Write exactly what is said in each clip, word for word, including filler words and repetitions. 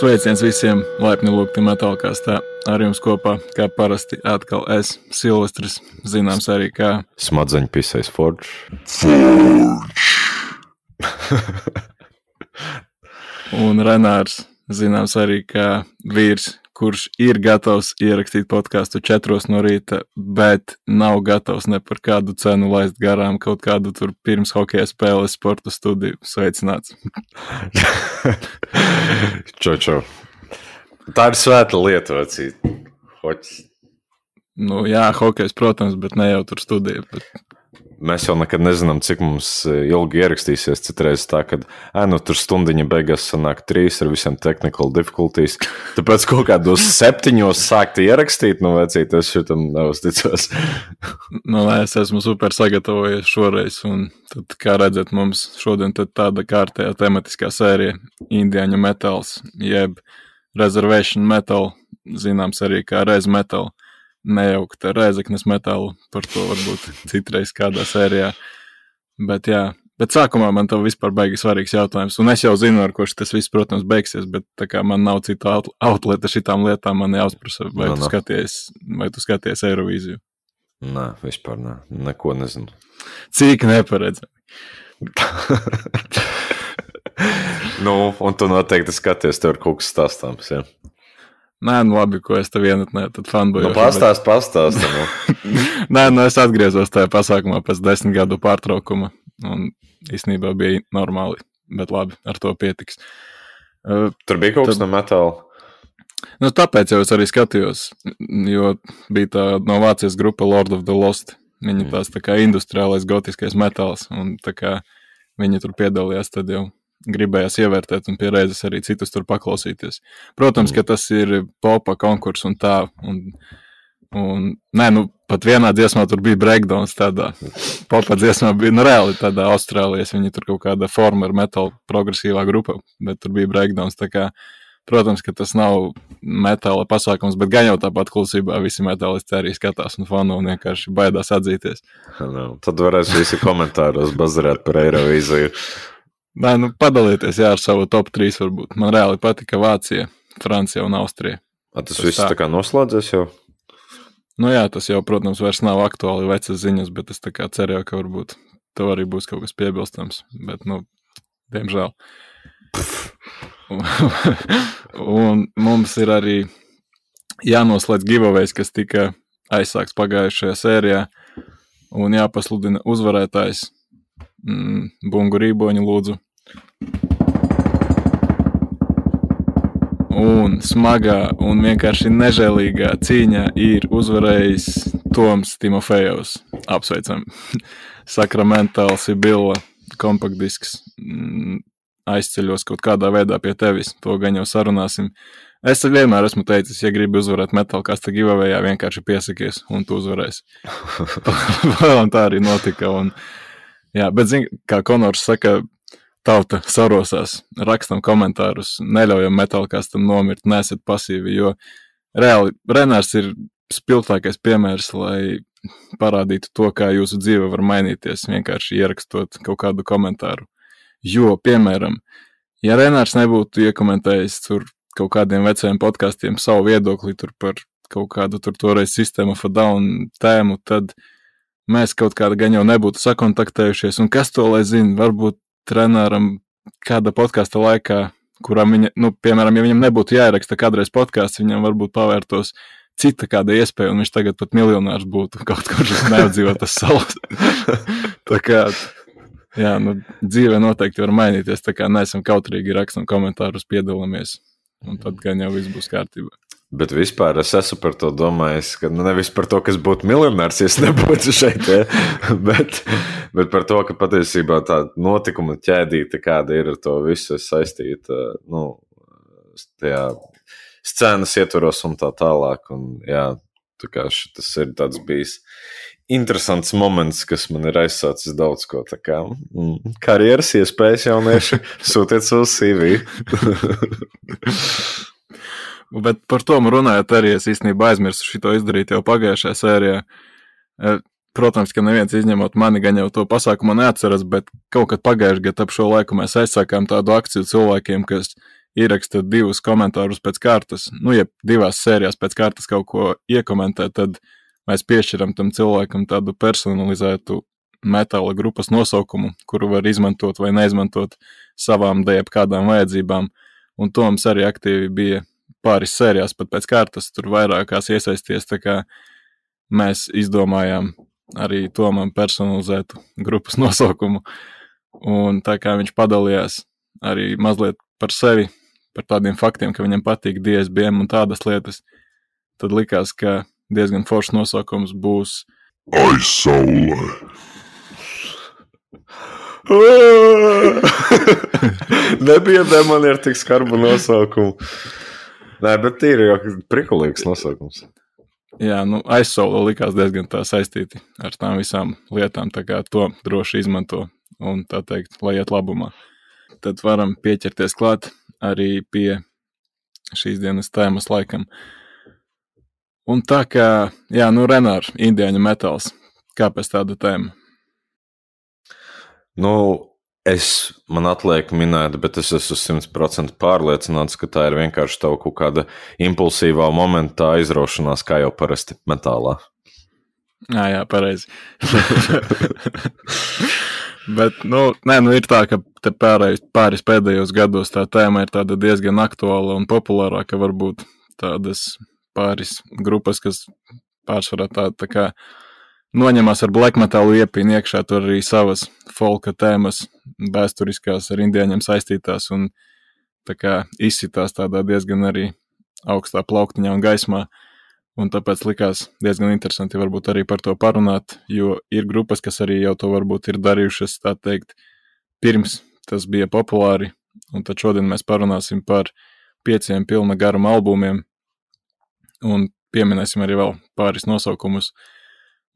Sveiciens visiem laipni lūgti metālkastā. Ar jums kopā, kā parasti, atkal es, Silvestris, zināms arī kā Smadzeņpisais Forge. Un Renārs, zināms arī kā vīrs, kurš ir gatavs ierakstīt podcastu četros no rīta, bet nav gatavs ne par kādu cenu laist garām kaut kādu tur pirms hokeja spēles sporta studiju. Sveicināts. Čau, čau. Tā ir svēta lieta, vecīt. Hoķis. Nu jā, hokejs, protams, bet ne jau tur studija. Bet... Mēs jau nekad nezinām, cik mums ilgi ierakstīsies. Citreiz tā, kad ē, nu, tur stundiņa beigās sanāk trīs ar visiem technical difficulties. Tāpēc kaut kādos septiņos sākt ierakstīt, nu vecīt, es šitam neuzticos. Nu, es esmu super sagatavojies šoreiz, un tad, kā redzat, mums šodien tad tāda kārtējā tematiskā sērija Indiāņu metāls, jeb Reservation metal, zināms arī kā Rez metal. Nejaukt ar Rēzeknes metālu, par to varbūt citreiz kādā sērijā. Bet jā, bet sākumā man tev vispār baigi svarīgs jautājums, un es jau zinu, ar ko tas viss, protams, beigsies, bet tā kā man nav cita outleta šitām lietām, man jāuzprasa, vai, no, tu, skaties, vai tu skaties Eirovīziju? Nē, vispār nē, neko nezinu. Cik neparedzami. Nu, un tu noteikti skaties, tev ir kaut kas stāstāms, jā? Nē, nu labi, ko es tev vienatnē, tad fanbojošu. Nu, pastāst, bet... pastāst. Nu. Nē, nu es atgriezos tajā pasākumā pēc desmit gadu pārtraukuma, un īstenībā bija normāli, bet labi, ar to pietiks. Tur bija kaut kas tad... no metāla? Nu, tāpēc jau es arī skatījos, jo bija tā no Vācijas grupa Lord of the Lost. Viņi tās tā kā industriālais gotiskais metāls, un tā kā viņi tur piedalījās, tad jau gribējās ievērtēt un pie reizes arī citus tur paklausīties. Protams, ka tas ir popa konkurss un tā, un, un nē, nu, pat vienā dziesmā tur bija breakdowns tādā, popa dziesmā bija, nu, reāli tādā Austrālijas, viņi tur kaut kāda former metal progresīvā grupa, bet tur bija breakdowns, tā kā, protams, ka tas nav metāla pasākums, bet gan jau tāpat klusībā visi metālisti arī skatās un fanu un vienkārši baidās atzīties. No, tad varēs visi komentāros bazarēt par Eirovīziju. Nē, nu padalieties, jā, ar savu top trīs varbūt. Man reāli patika Vācija, Francija un Austrija. A, tas, tas viss tā. tā kā noslēdzies jau? Nu jā, tas jau, protams, vairs nav aktuāli vecas ziņas, bet es tā kā cerēju, ka varbūt tev arī būs kaut kas piebilstams, bet, nu, diemžēl. Un mums ir arī jānoslēdz giveaways, kas tika aizsāks pagājušajā sērijā, un jāpasludina uzvarētājs. Mm, Bungu Rīboņu lūdzu. Un smagā un vienkārši nežēlīgā cīņā ir uzvarējis Toms Timofejovs. Apsveicam. Sakramentāl Sibilla kompaktdisks mm, aizceļos kaut kādā veidā pie tevis. To gan jau sarunāsim. Es vienmēr esmu teicis, ja gribi uzvarēt metālkasta giveawayā, vienkārši piesakies un tu uzvarēsi. Un tā arī notika. Un jā, bet zin, kā Konors saka, tauta sarosās, rakstam komentārus, neļaujam metālkastam nomirt, nesat pasīvi, jo reāli Renārs ir spilgtākais piemērs, lai parādītu to, kā jūsu dzīve var mainīties, vienkārši ierakstot kaut kādu komentāru. Jo, piemēram, ja Renārs nebūtu iekomentējis tur kaut kādiem vecajiem podkastiem savu viedokli tur par kaut kādu tur toreiz System of a Down tēmu, tad mēs kaut kāda gan jau nebūtu sakontaktējušies, un kas to lai zina, varbūt Renāram kāda podkasta laikā, kuram viņa, nu, piemēram, ja viņam nebūtu jāieraksta kādreiz podkasts, viņam varbūt pavērtos cita kāda iespēja, un viņš tagad pat miljonārs būtu kaut kur neapdzīvotas salas. Tā kā, jā, nu, dzīve noteikti var mainīties, tā kā neesam kautrīgi, rakstam komentārus, piedalāmies, un tad gan jau viss būs kārtībā. Bet vispār es esmu par to domājis, ka nu, nevis par to, kas būtu miljonārs, ja es nebūtu šeit, ja? bet, bet par to, ka patiesībā tā notikuma ķēdīte, kāda ir ar to visu saistīta, nu, tajā scēnas ietvaros un tā tālāk. Un, jā, tā kā tas ir tāds bijis interesants moments, kas man ir aizsācis daudz ko. Tā kā mm, karjeras iespējas jaunieši, sūtiet savu C V. Bet par to runājot arī es īstenībā aizmirsu šito izdarīt jau pagājušajā sērijā. Protams, ka neviens izņemot mani gan jau to pasākumu neatceras, bet kaut kad pagājušajā gadā ap šo laiku mēs aizsākām tādu akciju cilvēkiem, kas ieraksta divus komentārus pēc kārtas, nu, ja divās sērijās pēc kārtas kaut ko iekomentē, tad mēs piešķiram tam cilvēkam tādu personalizētu metāla grupas nosaukumu, kuru var izmantot vai neizmantot savām dēļ kādām vajadzībām. Un Toms arī aktīvi bija pāris sērijās pat pēc kārtas, tur vairākās iesaisties, tā kā mēs izdomājām arī Tomam personalizētu grupas nosaukumu. Un tā kā viņš padalījās arī mazliet par sevi, par tādiem faktiem, ka viņam patīk D S B M un tādas lietas, tad likās, ka diezgan foršs nosaukums būs Aizsaulē. Nebija man ar tik skarbu nosaukumu. Nē, bet ir jau prikulīgs nosaukums. Jā, nu aizsaule likās diezgan tā saistīti ar tām visām lietām, tā kā to droši izmanto un tā teikt, lai iet labumā. Tad varam pieķerties klāt arī pie šīs dienas tēmas laikam. Un tā kā, jā, nu Renār, indiāņu metāls, kāpēc tāda tēma? Nu, es, man atliek minēt, bet es esmu simt procenti pārliecināts, ka tā ir vienkārši tev kaut kāda impulsīvā momentā izraušanās, kā jau parasti metālā. Jā, jā, pareizi. Bet, nu, nē, nu ir tā, ka te pārējais, pāris pēdējos gados tā tēma ir tāda diezgan aktuāla un populārā, ka varbūt tādas pāris grupas, kas pārsvarā tā, tā kā noņemās ar black metalu iepīni iekšā, tur arī savas folka tēmas vēsturiskās ar indiāņiem saistītās un tā kā izsitās tādā diezgan arī augstā plauktiņā un gaismā. Un tāpēc likās diezgan interesanti varbūt arī par to parunāt, jo ir grupas, kas arī jau to varbūt ir darījušas, tā teikt, pirms tas bija populāri. Un tad šodien mēs parunāsim par pieciem pilna garuma albumiem un pieminēsim arī vēl pāris nosaukumus.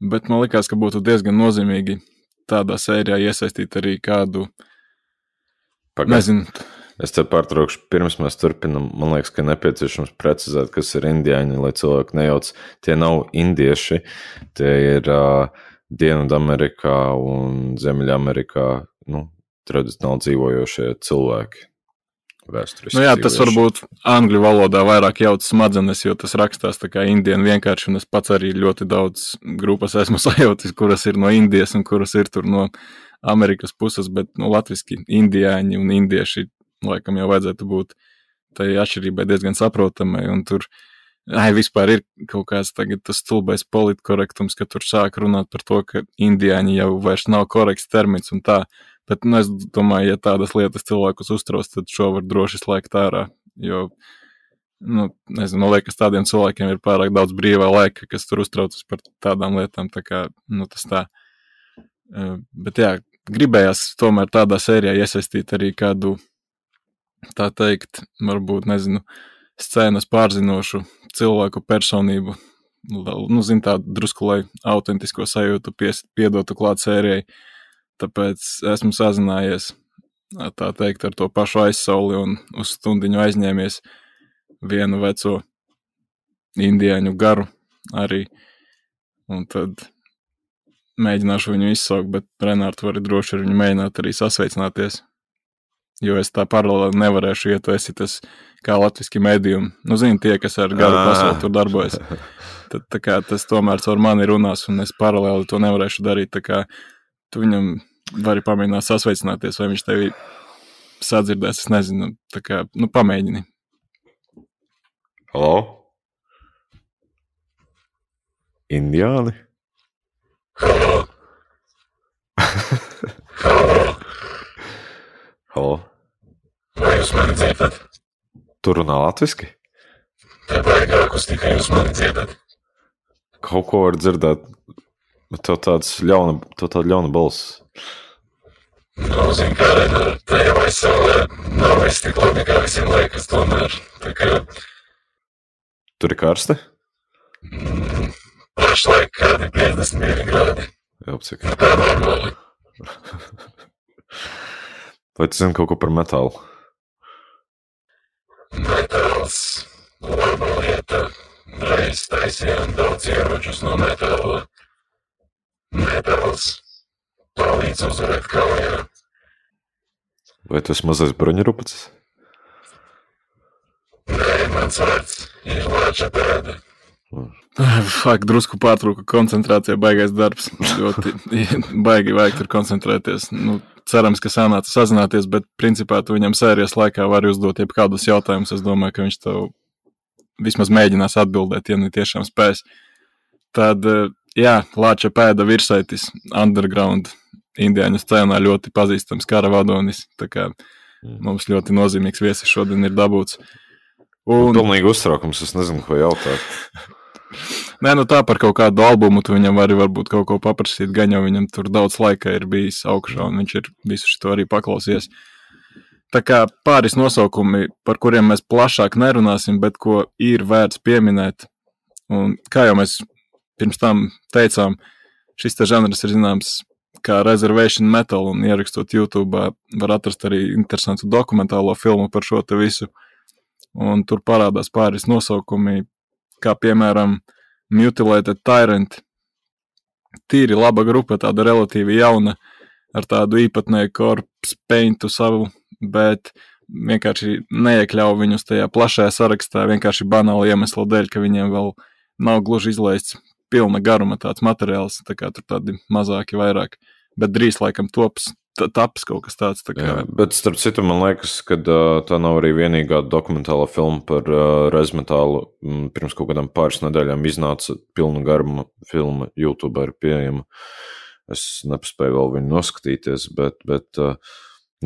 Bet man likās, ka būtu diezgan nozīmīgi tādā sērijā iesaistīt arī kādu, Pagad. nezinu. Es te pārtraukšu, pirms mēs turpinam, man liekas, ka nepieciešams precizēt, kas ir indiāņi, lai cilvēki nejauc. Tie nav indieši, tie ir uh, Dienvidamerikā un Ziemeļamerikā, nu, tradicionāli dzīvojošie cilvēki. Nu jā, tas varbūt angļu valodā vairāk jauc smadzenes, jo tas rakstās tā kā indienu vienkārši, un es pats arī ļoti daudz grupas esmu sajautis, kuras ir no Indijas un kuras ir tur no Amerikas puses, bet nu, latviski indiāņi un indieši laikam jau vajadzētu būt tai atšķirībai diezgan saprotamai, un tur ai, vispār ir kaut kāds tagad tas stulbais politkorektums, ka tur sāk runāt par to, ka indiāņi jau vairs nav korekts termins un tā. Bet nu, es domāju, ja tādas lietas cilvēkus uztrauc, tad šo var droši slēgt ārā, jo, nu, nezinu, man liekas, tādiem cilvēkiem ir pārāk daudz brīvā laika, kas tur uztraucas par tādām lietām, tā kā, nu, tas tā. Bet jā, gribējās tomēr tādā sērijā iesaistīt arī kādu, tā teikt, varbūt, nezinu, scēnas pārzinošu cilvēku personību, nu, zin tā drusku, lai autentisko sajūtu pies, piedotu klāt sērijai. Tāpēc esmu sazinājies, tā teikt, ar to pašu aizsauli un uz stundiņu aizņēmies vienu veco indiāņu garu arī. Un tad mēģināšu viņu izsaukt, bet Renār, tu vari droši ar viņu mēģināt arī sasveicināties. Jo es tā paralēli nevarēšu, ja tu esi tas kā latviski medium. Nu, zini, tie, kas ar garu pasauli tur darbojas. Tad tā kā tas tomēr caur mani runās, un es paralēli to nevarēšu darīt, tā kā tu viņam vari pamēģināt sasveicināties, vai viņš tevi sadzirdēs, es nezinu, tā kā, nu, pamēģini. Halo? Indiāni? Halo? Halo? Halo? Vai jūs mani dzirdat? Tu runā latviski? Te baigā akustika, jūs mani dzirdat? Kaut ko var dzirdēt. Tev tāds ļauna, tev tāda ļauna balss. Nu, zin kā, Renār, te jau aizsaulē nav viss tik labi, kā visiem liekas tomēr. Tā kā... Tur ir karsti? Mm, pašlaik kādi piecdesmit divi grādi. Jā, cik. Tā normāli. Vai tu zini kaut ko par metālu? Metāls. Laba lieta. Reiz taisījām daudz ieročus no metāla. Metāls palīdz uzvarēt kaujā. Vai tu esi mazais bruņurupacis? mans vārds ir Lāča pēda. Fak, drusku pārtrūka koncentrācija, baigais darbs. Ļoti baigi vajag tur koncentrēties. Nu, cerams, ka sanāca sazināties, bet principā tu viņam sērijas laikā vari uzdot jebkādus jautājumus. Es domāju, ka viņš tev vismaz mēģinās atbildēt, ja ne tiešām spēs. Tad, jā, Lāča pēda virsaitis, underground, indiāņu scēnā ļoti pazīstams kara vadonis. Tā kā mums ļoti nozīmīgs viesis šodien ir dabūts. Un... Pilnīgi uztraukums, es nezinu, ko jautāt. Nē, nu tā par kaut kādu albumu tu viņam vari varbūt kaut ko paprasīt, gan jau viņam tur daudz laika ir bijis augšā, un viņš ir visu šito arī paklausies. Tā kā pāris nosaukumi, par kuriem mēs plašāk nerunāsim, bet ko ir vērts pieminēt, un kā jau mēs pirms tam teicām, šis te žanrs ir zināms kā Reservation Metal, un ierakstot YouTube var atrast arī interesantu dokumentālo filmu par šo te visu, un tur parādās pāris nosaukumi, kā piemēram Mutilated Tyrant. Tīri laba grupa, tāda relatīvi jauna, ar tādu īpatnēju corpse paintu savu, bet vienkārši neiekļauj viņus tajā plašajā sarakstā, vienkārši banāli iemeslu dēļ, ka viņiem vēl nav gluži izlaists pilna garuma tāds materiāls, tā kā tur tādi mazāki vairāk, bet drīz laikam tops, taps kaut kas tāds. Tā kā... Jā, bet starp citu, man liekas, ka uh, tā nav arī vienīgā dokumentāla filma par uh, rezmetālu. Pirms kaut kādām pāris nedēļām iznāca pilnu garuma filma, YouTube ir pieejama. Es nepaspēju vēl viņu noskatīties, bet, bet uh,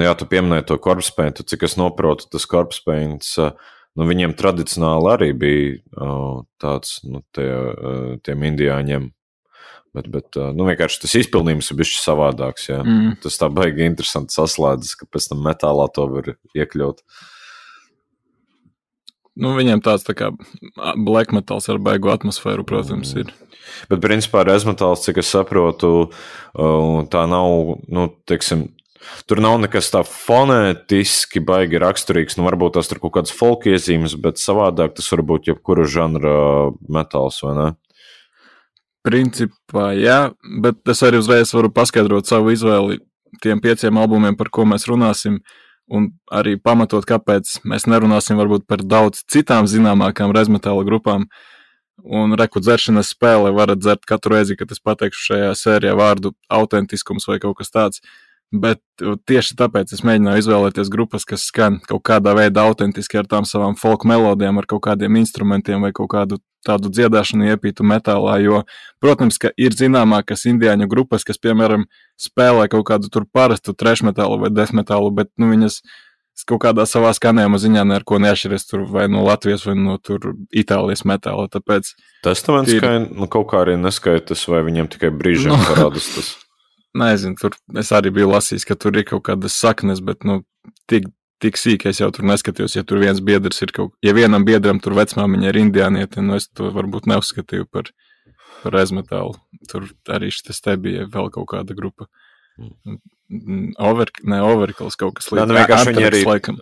jā, tu pieminēji to corpse paintu, cik es noprotu, tas corpse paints, uh, nu, viņiem tradicionāli arī bija uh, tāds, nu, tie, uh, tiem indiāņiem. Bet, bet nu, vienkārši tas izpildījums ir bišķi savādāks, jā. Mm. Tas tā baigi interesanti saslēdzas, ka pēc tam metālā to var iekļaut. Nu, viņiem tāds tā kā black metals ar baigu atmosfēru, protams, ir. Bet principā rezmetāls, cik es saprotu, tā nav, nu, teiksim, tur nav nekas tā fonētiski baigi raksturīgs, nu, varbūt tās tur kaut kādas folk iezīmes, bet savādāk tas var būt jebkura žanra metāls, vai ne? Principā, jā, bet es arī uzreiz varu paskaidrot savu izvēli tiem pieciem albumiem, par ko mēs runāsim, un arī pamatot, kāpēc mēs nerunāsim varbūt par daudz citām zināmākām rezmetāla grupām, un reku dzeršanas spēle varat dzert katru reizi, kad es pateikšu šajā sērijā vārdu autentiskums vai kaut kas tāds, bet tieši tāpēc es mēģināju izvēlēties grupas, kas skan kaut kādā veidā autentiski ar tām savām folk melodijām, ar kaut kādiem instrumentiem vai kaut kādu tādu dziedāšanu iepītu metālā, jo, protams, ka ir zināmākas indiāņu grupas, kas, piemēram, spēlē kaut kādu tur parastu trash metālu vai death metālu, bet, nu, viņas kaut kādā savā skanējuma ziņā ne ar ko neatšķiras tur vai no Latvijas vai no tur Itālijas metāla, tāpēc... Testaments ir... kā, nu, kaut kā arī neskaitas, vai viņiem tikai brīžiem no. parādas tas? Nezinu, tur es arī biju lasījis, ka tur ir kaut kādas saknes, bet, nu, tik, tik sīk es jau tur neskatījos, ja tur viens biedrs ir kaut, ja vienam biedram tur vecmāmiņa ir indiānieti, nu, es to varbūt neuzskatīju par, par rezmetālu. Tur arī šitas te bija vēl kaut kāda grupa. Over, ne, Overkills kaut kas līdz. Jā, nu, vienkārši viņi arī, laikam.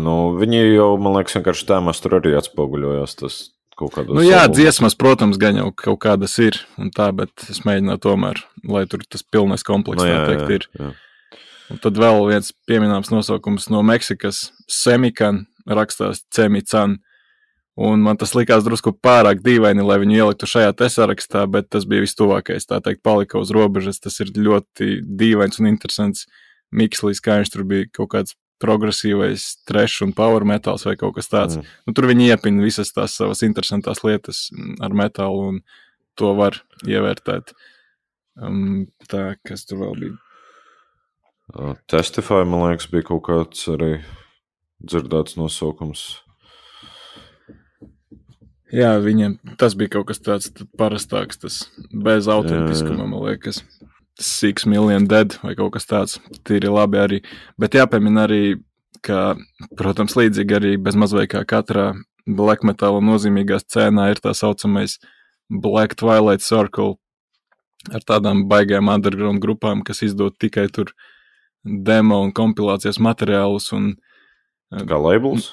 Nu, viņi jau, man liekas, vienkārši tēmās tur arī atspoguļojās tas. Nu jā, albums. Dziesmas, protams, gan jau kaut kādas ir, un tā, bet es mēģināju tomēr, lai tur tas pilnais komplekss, no, jā, tā teikt, ir. Jā, jā. Un tad vēl viens pieminams nosaukums no Meksikas, Semikan, rakstās Cemican, un man tas likās drusku pārāk dīvaini, lai viņu ieliktu šajā te sarakstā, bet tas bija vistuvākais, tā teikt, palika uz robežas, tas ir ļoti dīvains un interesants mikslis, kā viņš tur bija kaut kāds progresīvais trash un power metāls vai kaut kas tāds. Mm. Nu, tur viņi iepina visas tās savas interesantās lietas ar metālu un to var ievērtēt. Um, tā, kas tur vēl bija? Uh, Testify, man liekas, bija kaut kāds arī dzirdēts nosaukums. Jā, viņiem tas bija kaut kas tāds parastāks, tas bez autentiskuma, man liekas. Six Million Dead vai kaut kas tāds, tīri labi arī, bet jāpiemina arī, ka, protams, līdzīgi arī bez mazvai kā katrā black metala nozīmīgā scēnā ir tā saucamais Black Twilight Circle ar tādām baigām underground grupām, kas izdod tikai tur demo un kompilācijas materiālus un... Kā labels?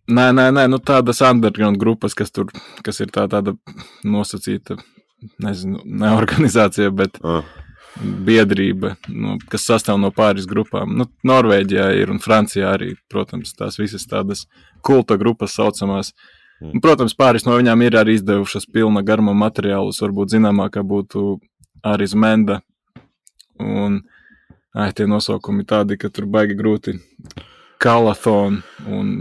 Nē, nē, nē, nu tādas underground grupas, kas tur, kas ir tā tāda nosacīta, nezinu, ne organizācija, bet... Ah. biedrība, nu, kas sastāv no pāris grupām. Nu, Norvēģijā ir un Francijā arī, protams, tās visas tādas kulta grupas saucamās. Un, protams, pāris no viņām ir arī izdevušas pilna garuma materiālus, varbūt zināmākā būtu Aris Menda. Un ai, tie nosaukumi tādi, ka tur baigi grūti. Calathon un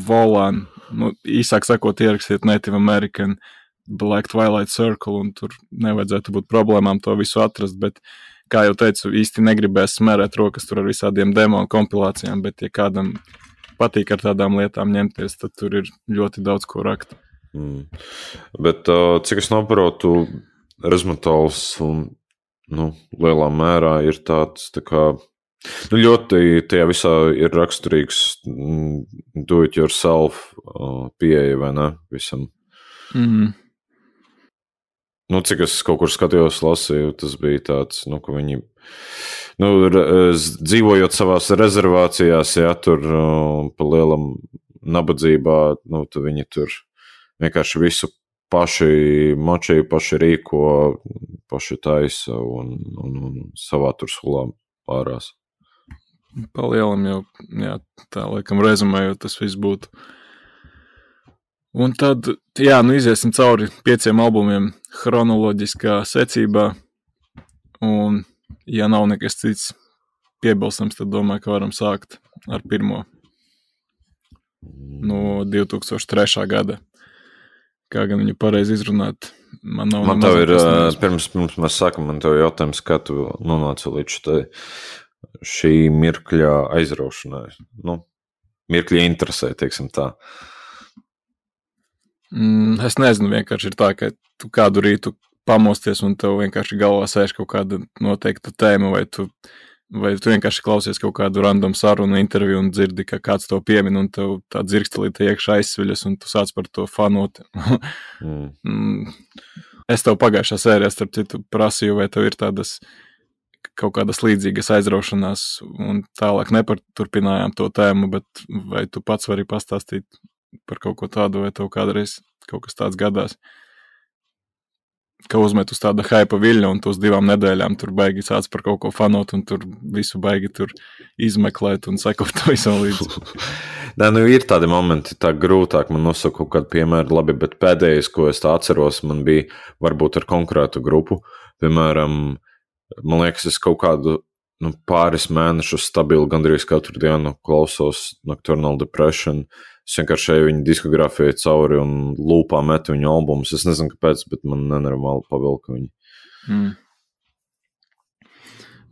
Volan. Nu, īsāk sakot, ierakstiet Native American Black Twilight Circle, un tur nevajadzētu būt problēmām to visu atrast, bet, kā jau teicu, īsti negribēs smērēt rokas tur ar visādiem demo un kompilācijām, bet, ja kādam patīk ar tādām lietām ņemties, tad tur ir ļoti daudz ko rakt. Mm. Bet, uh, cik es noprotu, Rezmatols un, nu, lielā mērā ir tāds, tā kā, nu, ļoti tajā visā ir raksturīgs do it yourself uh, pieeja, vai ne, visam. Mhm. Nu, cik es kaut kur skatījos, lasīju, tas bija tāds, nu, ka viņi, nu, dzīvojot savās rezervācijās, ja tur uh, pa lielam nabadzībā, nu, tad viņi tur vienkārši visu paši močīja, paši rīko, paši taisa un, un, un savā tur sulā ārās. Pa lielam jau, jā, tā laikam rezumējot, tas viss būtu. Un tad, jā, nu iziesim cauri pieciem albumiem chronoloģiskā secībā, un, ja nav nekas cits piebilstams, tad domāju, ka varam sākt ar pirmo no divi tūkstoši trešā gada. Kā gan viņu pareizi izrunāt, man nav... Man tev ir, pirms, pirms mēs sākam, man tev jautājums, kā tu nonāci līdz tai, šī mirkļa aizraušanai, nu, mirkļa interesē, teiksim tā. Mm, es nezinu, vienkārši ir tā, ka tu kādu rītu pamosties un tev vienkārši galvā sēž kaut kāda noteikta tēma, vai tu, vai tu vienkārši klausies kaut kādu random sarunu interviju un dzirdi, ka kāds to piemin un tev tā dzirkstelīte iekšā aizsviļas un tu sāc par to fanot. mm. Es tev pagājušā sērijā starp citu prasīju, vai tev ir tādas kaut kādas līdzīgas aizraušanās un tālāk nepaturpinājām to tēmu, bet vai tu pats vari pastāstīt par kaut ko tādu, vai tev kādreiz kaut kas tāds gadās, ka uzmet uz tāda haipa viļņa un tu uz divām nedēļām tur baigi sāc par kaut ko fanot un tur visu baigi tur izmeklēt un sekot to visam līdzi. Nē, nu ir tādi momenti, tā grūtāk man nosaka kaut kādu piemēru, labi, bet pēdējais, ko es tā atceros, man bija varbūt ar konkrētu grupu, piemēram, man liekas, es kaut kādu nu, pāris mēnešus stabili gandrīz katru dienu klausos Nocturnal Depression. Es vienkārši eju viņu diskogrāfijai cauri un lūpā metu viņu albumus. Es nezinu, kāpēc, bet man nenormāli pavilka viņi. Mm.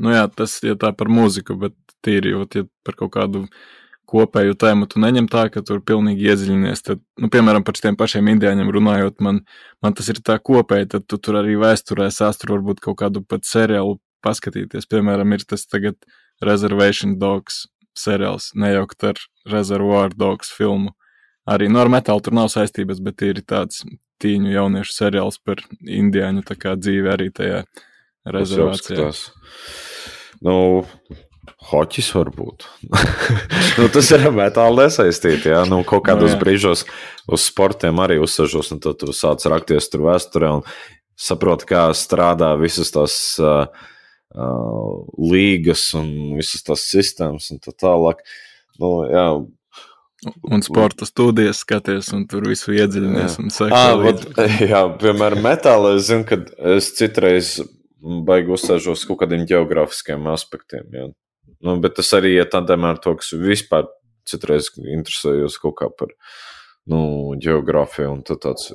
Nu jā, tas ir tā par mūziku, bet tīri, jo ja par kaut kādu kopēju tēmu tu neņem tā, ka tur pilnīgi iedziļinies. Tad, nu, piemēram, par šiem pašiem indiāņiem runājot, man, man tas ir tā kopēji, tad tu tur arī vēsturē sāstur varbūt kaut kādu pat seriālu paskatīties. Piemēram, ir tas tagad Reservation Dogs seriāls, nejaukt ar Reservoir Dogs filmu. Arī no ar metālu tur nav saistības, bet ir tāds tīņu jauniešu seriāls par indiāņu tā kā dzīve arī tajā rezervācijā. Nu, hoķis varbūt. nu, tas ir metāli nesaistīti, jā. Nu, kaut kādos no, brīžos uz sportiem arī uzsažos, un tad tu sāc rakties tur vēsturē un saproti, kā strādā visas tās uh, Uh, līgas un visas tās sistēmas un tā tālāk. Nu, jā. Un sporta studijas skaties un tur visu iedziļinies un seko à, līdzi. Vat, jā, piemēram, metālā es zinu, ka es citreiz baigi uzsēžos kaut kādiem geogrāfiskiem aspektiem. Jā. Nu, bet tas arī ir tādēļ ar to, kas vispār citreiz interesējos kaut kā par nu, geogrāfiju un tad tāds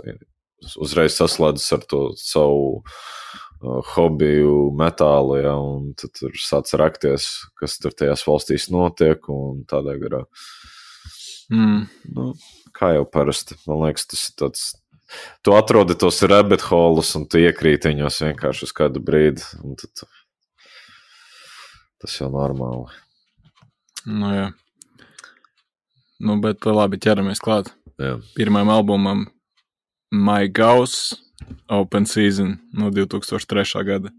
uzreiz saslēdzas ar to savu hobiju metālu, ja, un tad tur sāc rakties, kas tur tajās valstīs notiek, un tādā garā. Mm. Nu, kā jau parasti, man liekas, tas ir tāds, tu atrodi tos rabbit holes, un tu iekrīt viņos vienkārši uz kādu brīdi, un tad tas jau normāli. Nu, jā. Nu, bet labi, ķeramies klāt. Jā. Pirmajam albumam My Gauss Open Season no divi tūkstoši trešā gada.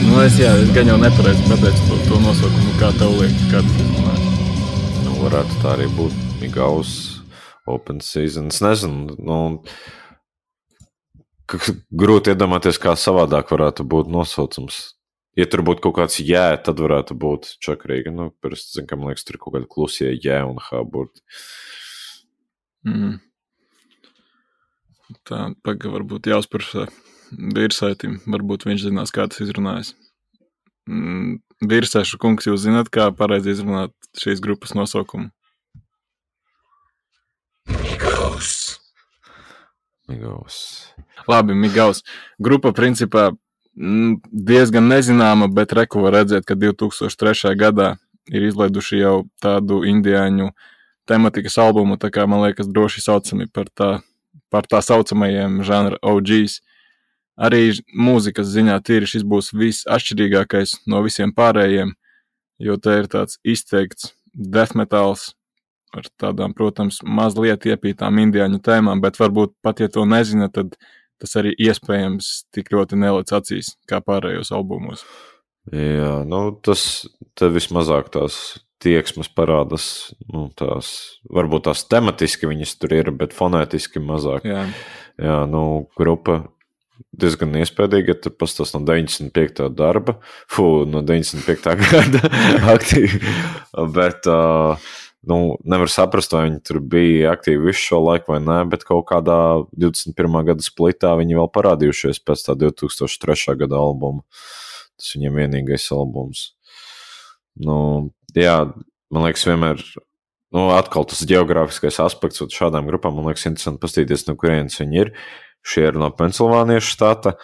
Nu, es jā, es gan jau nepareizi pateicu to, to nosaukumu, kā tev liek, kad varētu tā arī būt. Migaus, Open Season. Es nezinu, nu, grūti iedomāties, kā savādāk varētu būt nosaucums. Ja tur būtu kaut kāds jē, tad varētu būt čakarīgi. Nu, parasti, zin, ka man liekas, tur ir kaut kādi klusie jē un hā burti. Mm. Tā, paga varbūt jāuzprasa Virsaitim. Varbūt viņš zinās, kā tas izrunājas. Mm. Virsaišu kungs, jūs zināt, kā pareizi izrunāt šīs grupas nosaukumu? Migaus. Migaus. Labi, Migaus. Grupa principā diezgan nezināma, bet reku var redzēt, ka divi tūkstoši trešajā gadā ir izlaiduši jau tādu indiāņu tematikas albumu, tā kā man liekas droši saucami par tā, par tā saucamajiem žanra O Gs. Arī mūzikas ziņā tīri šis būs viss atšķirīgākais no visiem pārējiem, jo te ir tāds izteikts death metals ar tādām, protams, mazliet iepītām indiāņu tēmām, bet varbūt pat, ja to nezina, tad tas arī iespējams tik ļoti nelec acīs, kā pārējos albumos. Jā, nu tas te vismazāk tās tieksmes parādas, nu tās, varbūt tās tematiski viņas tur ir, bet fonētiski mazāk. Jā, Jā nu, grupa diezgan iespējīgi, ja tur pastāst no deviņdesmit piektā darba, fū, no deviņdesmit piektā gada aktīvi, bet, uh, nu, nevar saprast, vai viņi tur bija aktīvi visu šo laiku vai nē, bet kaut kādā divdesmit pirmā gada splitā viņi vēl parādījušies pēc tā divi tūkstoši trešā gada albuma. Tas viņiem vienīgais albums. Nu, jā, man liekas vienmēr, nu, atkal tas geogrāfiskais aspekts un šādām grupām, man liekas interesanti pastīties, no kurienes viņi ir. Šie ir no Pensilvānijas štata,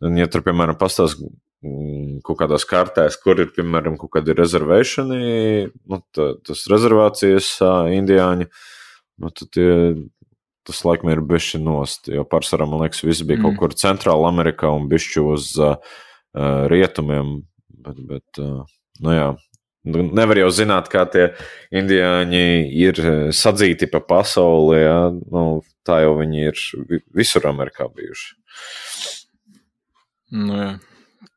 un ja tur, piemēram, pastāst kaut kādās kartēs, kur ir, piemēram, kaut kādi rezervēšani, nu, tā, tas rezervācijas indiāņi, nu, tad tie, tas laikam ir bišķi nost, jo pārsvarā, man liekas, viss bija mm. kaut kur Centrāla Amerikā un bišķi uz uh, rietumiem, bet, bet uh, nu jā, nevar jau zināt, kā tie indiāņi ir sadzīti pa pasauli, jā, nu, tā jau viņi ir visur Amerikā bijuši. Nu jā,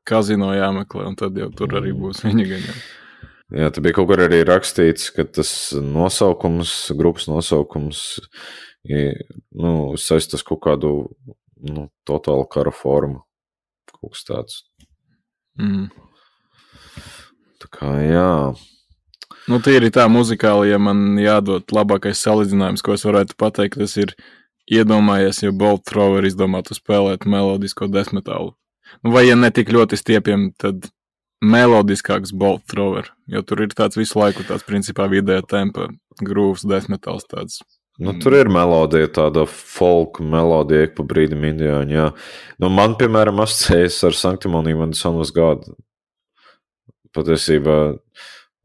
kazino jāmeklē, un tad jau tur arī būs viņi gaņā. Jā, te bija kaut kur arī rakstīts, ka tas nosaukums, grupas nosaukums, ir, nu, saistas kaut kādu, nu, totālu kara formu, kaut kas tāds. Mm. Tā kā, jā. Nu, tīri tā muzikāli, ja man jādod labākais salīdzinājums, ko es varētu pateikt, tas ir iedomājies, ja Bolt Thrower izdomātu spēlēt melodisko death metalu. Nu, vai ja ne tik ļoti stiepiem, tad melodiskāks Bolt Thrower, jo tur ir tāds visu laiku tāds principā vidējā tempa grūvs death metals tāds. Nu, tur ir melodija, tāda folk melodija, ik pa brīdim indiāņi, jā. Nu, man, piemēram, asociējas ar Sanctimony when the sun was God. Patiesībā,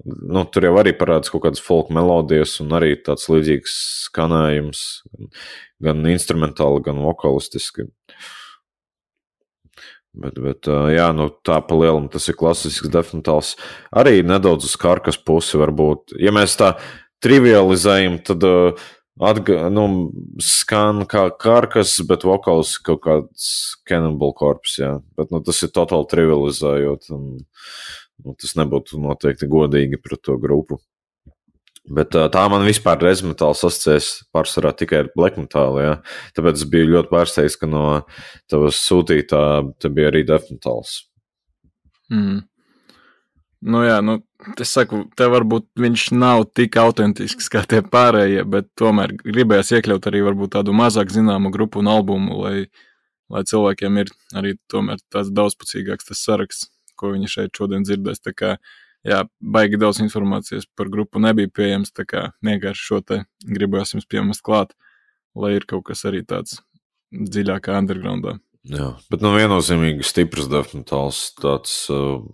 nu, tur jau arī parādas kaut kādas folk melodijas un arī tāds līdzīgs skanējums, gan instrumentāli, gan vokalistiski. Bet, bet jā, nu, tā pa lielam tas ir klasisks death metals. Arī nedaudz uz karkas pusi varbūt. Ja mēs tā trivializējam, tad atga, nu, skan kā karkas, bet vokals kaut kāds Cannibal Corpse, jā. Bet, nu, tas ir totāli trivializējot un nu, tas nebūtu noteikti godīgi pret to grupu. Bet tā man vispār death metals asociēs pārsvarā tikai ar black metal, jā. Tāpēc es biju ļoti pārsteigts, ka no tavas sūtītā te bija arī death metals. Mm. Nu jā, nu, es saku, te varbūt viņš nav tik autentisks kā tie pārējie, bet tomēr gribējās iekļaut arī varbūt tādu mazāk zināmu grupu un albumu, lai, lai cilvēkiem ir arī tomēr tāds daudzpusīgāks tas saraksts, ko viņi šeit šodien dzirdēs. Tā kā, jā, baigi daudz informācijas par grupu nebija pieejams, tā kā vienkārši šo te gribējās jums piemest klāt, lai ir kaut kas arī tāds dziļākā undergroundā. Jā, bet nu viennozīmīgi stiprs death metals, tāds uh,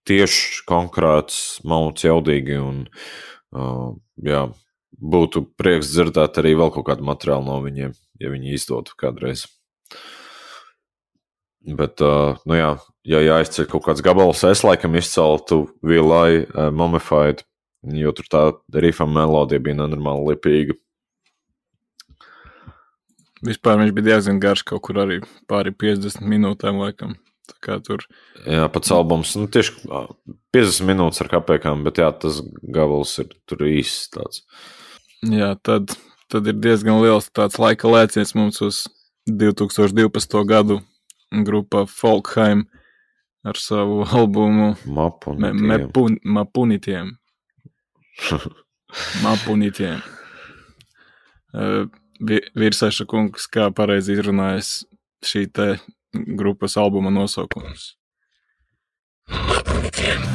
tieši konkrēts, mauts jaudīgi un uh, jā, būtu prieks dzirdēt arī vēl kaut kādu materiālu no viņiem, ja viņi izdotu kādreiz. Bet, uh, nu jā, ja jāizceļ kaut kāds gabals, es laikam izceltu Vilai uh, Mummified, jo tur tā rifa melodija bija nenormāli lipīga. Vispār viņš bija diezgan garš, kaut kur arī pāri piecdesmit minūtēm laikam. Tā kā tur. Jā, pats albums, nu tieši piecdesmit minūtes ar kapekām, bet jā, tas gabals ir tur īsts tāds. Jā, tad, tad ir diezgan liels tāds laika lēciens mums uz divi tūkstoši divpadsmito gadu grupa Folkheim ar savu albumu Mapunitiem. Me, mepun, Mapunitiem. Mapunitiem. Uh, Virsaiša kungs, kā pareizi izrunājas šī te grupas albuma nosaukums. Mapunitiem.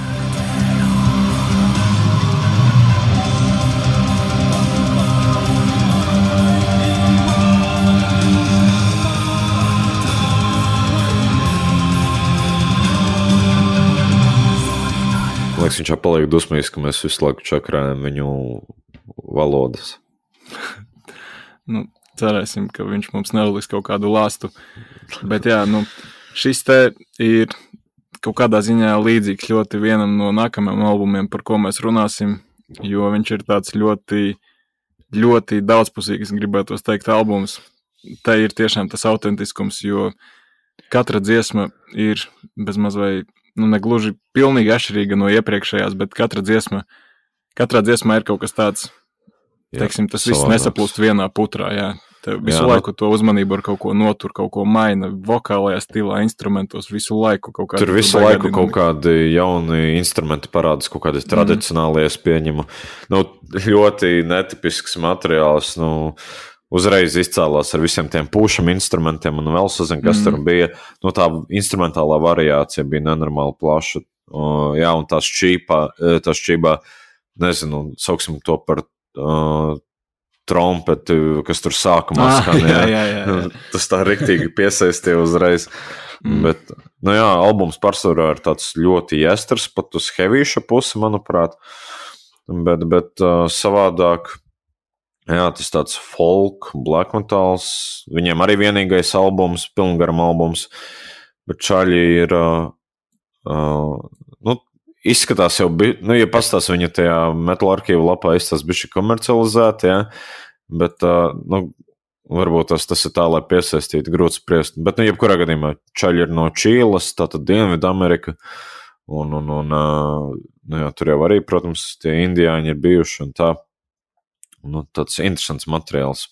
Liekas, viņš jau paliek dusmīgs, ka mēs visu laiku čakrājam viņu valodas. Nu, cerēsim, ka viņš mums neuzliks kaut kādu lāstu. Bet jā, nu, šis te ir kaut kādā ziņā līdzīgs ļoti vienam no nākamajiem albumiem, par ko mēs runāsim, jo viņš ir tāds ļoti, ļoti daudzpusīgs, gribētos teikt, albums. Te ir tiešām tas autentiskums, jo katra dziesma ir bezmaz vai nu, negluži pilnīgi atšķirīga no iepriekšējās, bet katra dziesma, katrā dziesmā ir kaut kas tāds, teiksim, tas viss nesaplūst vienā putrā, jā. Tev visu jā, laiku no... to uzmanību ar kaut ko notur, kaut ko maina, vokālajā stilā, instrumentos, visu laiku kaut kādi. Tur visu laiku kaut kādi jauni instrumenti parādās, kaut kādi tradicionālie es pieņemu. Nu, ļoti netipisks materiāls, nu, uzreiz izcēlās ar visiem tiem pūšam instrumentiem un vēl sazin, kas mm. tur bija. Nu, tā instrumentālā variācija bija nenormāli plaša. Uh, jā, un tā šķīpā, tā šķībā, nezinu, sauksim to par uh, trompeti, kas tur sākumā ah, skan. Jā, jā, jā, jā. Tas tā riktīgi piesaistīja uzreiz. Mm. Bet, nu jā, albums pārsvarā ir tāds ļoti jesters, pat uz hevīša pusi, manuprāt. Bet, bet uh, savādāk, jā, tas tāds folk, black metals, viņiem arī vienīgais albums, pilngaram albums, bet čaļi ir, uh, uh, nu, izskatās jau, bi, nu, ja pastās viņa tajā metal arķīvu lapā, izstās bišķi komercializēti, jā, bet, uh, nu, varbūt tas, tas ir tā, lai piesaistītu, grūti spriest, bet, nu, jebkurā gadījumā čaļi ir no Čīles, tātad Dienvidu Amerika, un, un, un, uh, nu, jā, tur jau arī, protams, tie indiāņi ir bijuši un tā. Nu, tāds interesants materiāls.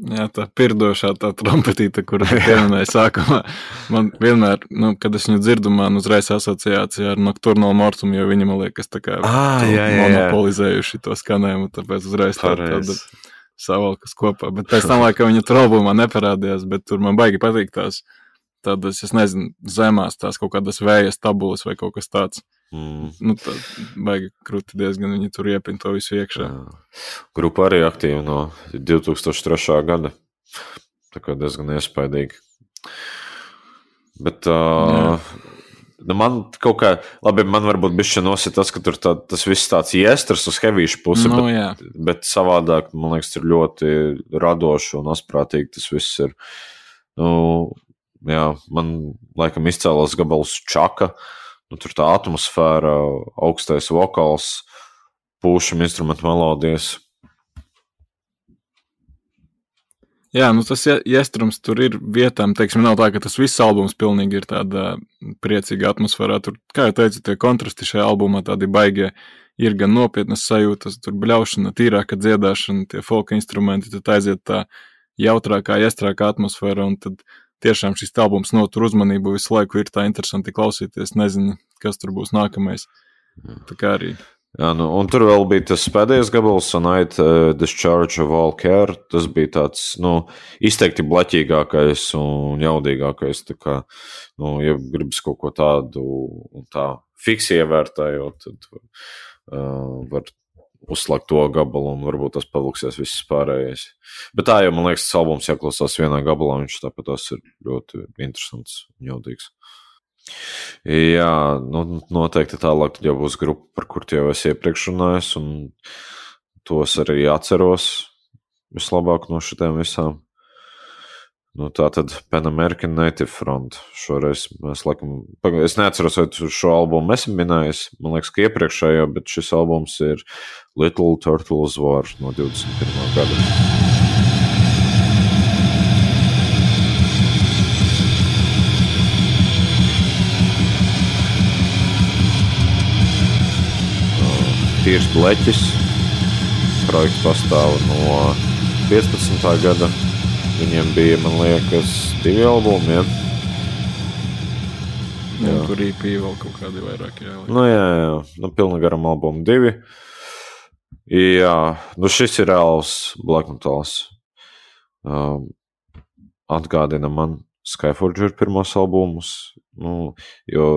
Jā, tā pirdošā tā trompetīte, kuru pieminēja sākumā. Man vienmēr, nu, kad es viņu dzirdu, man uzreiz asociācija ar Nocturnal Mortum, jo viņi, man liekas, tā kā ah, jā, jā, jā. monopolizējuši to skanējumu, tāpēc uzreiz tā, tāda savalkas kopā. Bet pēc tam, laikam, viņa tur albumā neparādījās, bet tur man baigi patīk tās tādas, es nezinu, zemās tās kaut kādas vējas tabulas vai kaut kas tāds. Mm. Nu, tā baigi krūti diezgan viņi tur iepina to visu iekšā. Jā. Grupa arī aktīva no divi tūkstoši trešā gada. Tā kā diezgan iespaidīgi. Bet uh, nu man kaut kā, labi, man varbūt bišķi nosit tas, ka tur tā, tas viss tāds iestras uz hevīšu pusi, no, bet, bet savādāk, man liekas, ir ļoti radoši un asprātīgi tas viss ir. Nu, jā, man laikam izcēlās gabals Čaka. Nu, tur tā atmosfēra, augstais vokāls, pūšam instrumentu melodijas. Jā, nu tas jestrums tur ir vietām, teiksim, nav tā, ka tas viss albums pilnīgi ir tāda priecīga atmosfērā. Tur, kā jau teicu, tie kontrasti šajā albumā tādi baigie, ir gan nopietnas sajūtas, tur bļaušana, tīrāka dziedāšana, tie folka instrumenti, tad aiziet tā jautrākā, jestrākā atmosfēra, un tad tiešām šis albums notur uzmanību, visu laiku ir tā interesanti klausīties, nezinu, kas tur būs nākamais. Tā kā arī. Jā, nu, un tur vēl bija tas pēdējais gabals, Night uh, Discharge of All Care, tas bija tāds, nu, izteikti blaķīgākais un jaudīgākais, tā kā, nu, ja gribas kaut ko tādu un tā fiksi ievērtējot, tad uh, var uzslēgt to gabalu un varbūt tas paluksies viss pārējais. Bet tā jau, man liekas, tas albums jāklausās vienā gabalā, viņš tāpat tas ir ļoti interesants un jaudīgs. Jā, nu, noteikti tālāk jau būs grupa, par kur jau es iepriekš runājis, un tos arī atceros vislabāk no šitiem visām. Nu, tā tad Pan American Native Front. Šoreiz mēs laikam, es neatceros, vai šo albumu esmu minējis, man liekas, ka iepriekšējo, bet šis albums ir Little Turtles War no divdesmit pirmā gada. tīrs bleķis. Projekts pastāv no piecpadsmitā gada. Viņiem bija, man liekas, divi albumi, ja? Jā. Un tur E P vēl kaut kādi vairāk jāliek. Nu jā, jā, nu pilna garam albumu divi. Jā, nu šis ir reāls black metals. Um, atgādina man Skyforger pirmos albumus, nu, jo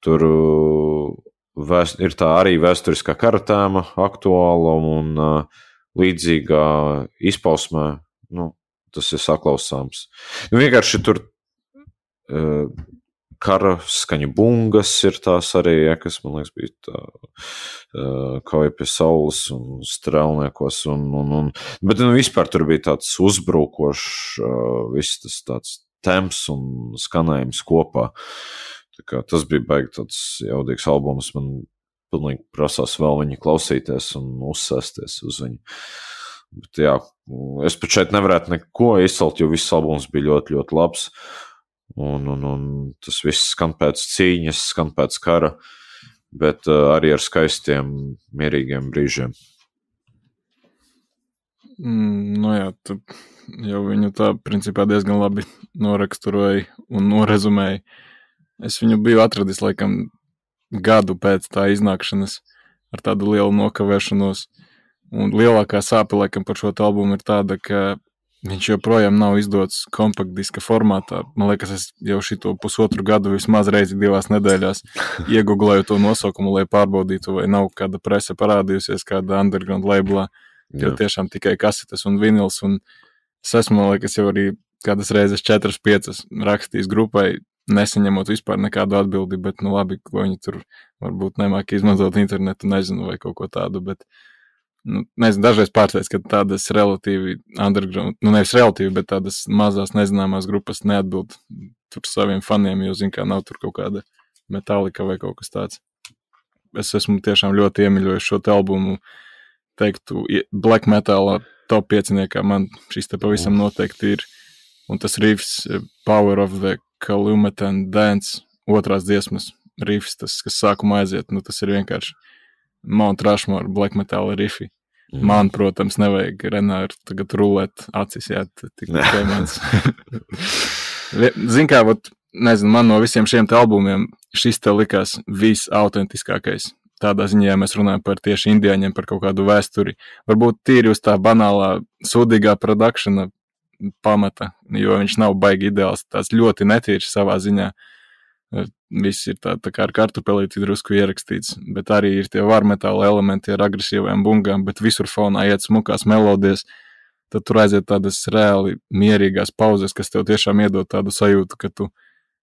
tur vēst, ir tā arī vēsturiskā kara tēma aktuāla un uh, līdzīgā izpausmē, nu, tas ir saklausāms. Nu, vienkārši tur uh, kara skaņu bungas ir tās arī, ja, kas, man liekas, bija tā uh, kauja pie saules un strēlniekos, un, un, un, bet nu, vispār tur bija tāds uzbrukošs, uh, viss tas tāds temps un skanējums kopā. Tā kā tas bija baigi tāds jaudīgs albums, man pilnīgi prasās vēl viņu klausīties un uzsēsties uz viņu. Bet jā, es pat šeit nevarētu neko izcelt, jo viss albums bija ļoti, ļoti labs. Un, un, un tas viss skan pēc cīņas, skan pēc kara, bet uh, arī ar skaistiem, mierīgiem brīžiem. Mm, nu jā, tu jau viņu tā principā diezgan labi noraksturoja un norezumēja. Es viņu biju atradis laikam gadu pēc tā iznākšanas ar tādu lielu nokavēšanos. Un lielākā sāpe laikam par šo albumu ir tāda, ka viņš joprojām nav izdots kompaktdiska formātā. Man liekas, es jau šito pusotru gadu vismaz reizi divās nedēļās ieguglēju to nosaukumu, lai pārbaudītu, vai nav kāda prese parādījusies kāda underground labelā. Jo tiešām tikai kasetes un vinils. Un es esmu, man liekas, jau arī kādas reizes četras, piecas rakstījis grupai, nesaņemot vispār nekādu atbildi, bet nu labi, ko viņi tur varbūt nemāk izmantot internetu, nezinu, vai kaut ko tādu, bet nu, nezinu, dažreiz pārsteidz, ka tādas relatīvi underground, nu nevis relatīvi, bet tādas mazās nezināmās grupas neatbild tur saviem faniem, jo, zin kā, nav tur kaut kāda Metallica vai kaut kas tāds. Es esmu tiešām ļoti iemīļojis šo te albumu, teiktu, black metalā top pieciniekā man šis te pavisam noteikti ir, un tas riffs Power of the Calumet and Dance, otrās dziesmas riffs, tas, kas sākumā aiziet, nu tas ir vienkārši Mount Rushmore black metal riffi. Mm. Man, protams, nevajag Renāru tagad rulēt acis, jā, tikai mans. Zin kā, vat, nezinu, man no visiem šiem te albumiem šis te likās visautentiskākais. Tādā ziņā, ja mēs runājam par tieši indiāņiem, par kaut kādu vēsturi. Varbūt tīri uz tā banālā, sūdīgā produkšana pamata, jo viņš nav baigi ideāls, tāds ļoti netīrs savā ziņā. Viss ir tā, tā kā ar kartupelīti drusku ierakstīts, bet arī ir tie varmetāla elementi ar agresīvajām bungām, bet visur fonā iet smukās melodijas, tad tur aiziet tādas reāli mierīgās pauzes, kas tev tiešām iedod tādu sajūtu, ka tu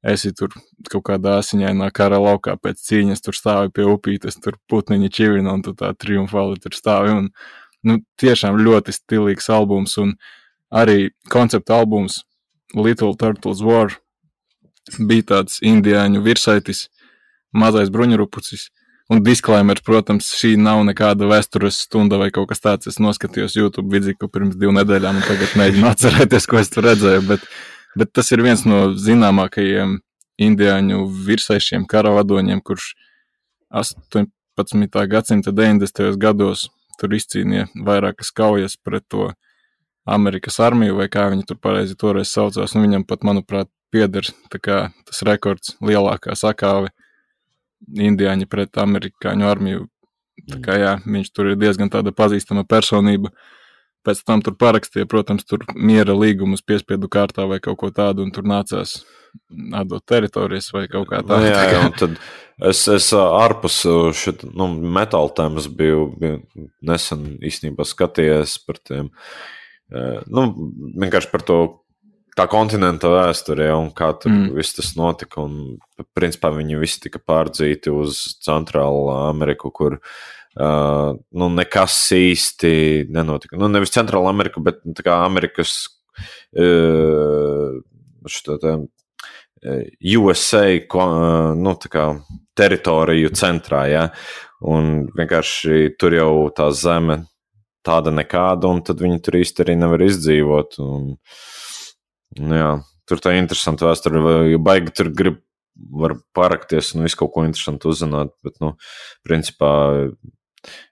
esi tur kaut kādā asiņainā kara laukā pēc cīņas, tur stāvi pie upītes, tur putniņi čivina un tu tā triumfāli tur stāvi. Un, nu, tiešām ļoti stilīgs albums un arī koncepta albums Little Turtles War bija tāds indiāņu virsaitis, mazais bruņurupucis. Un disclaimer, protams, šī nav nekāda vēstures stunda vai kaut kas tāds. Es noskatījos YouTube vidzīku pirms divu nedēļām un tagad mēģinu atcerēties, ko es tur redzēju, bet Bet tas ir viens no zināmākajiem indiāņu virsaišiem karavadoņiem, kurš astoņpadsmitā gadsimta deviņdesmitajos gados tur izcīnīja vairākas kaujas pret to Amerikas armiju, vai kā viņi tur pareizi toreiz saucās. Un viņam pat, manuprāt, pieder tā kā tas rekords lielākā sakāve indiāņi pret amerikāņu armiju. Tā kā jā, viņš tur ir diezgan tāda pazīstama personība. Pēc tam tur parakstīja, protams, tur miera līgumus piespiedu kārtā vai kaut ko tādu, un tur nācās atdot teritorijas vai kaut kā tādu. Jā, jā, un tad es, es ārpus šit, nu, metāla tēmas biju, biju nesen īstenībā skatījies par tiem, nu, vienkārši par to tā kontinenta vēsturē un kā tur mm. viss tas notika, un principā viņi visi tika pārdzīti uz Centrālu Ameriku, kur Uh, nu, nekas īsti nenotika. Nu, nevis Centrāla Amerika, bet tā kā Amerikas uh, šitā tā, U S A uh, nu, tā kā teritoriju centrā, ja? Un vienkārši tur jau tā zeme tāda nekāda, un tad viņi tur īsti arī nevar izdzīvot. Un, nu, jā, tur tā interesanta vēsture, jo baigi tur grib var parakties un visu kaut ko interesantu uzzināt, bet, nu, principā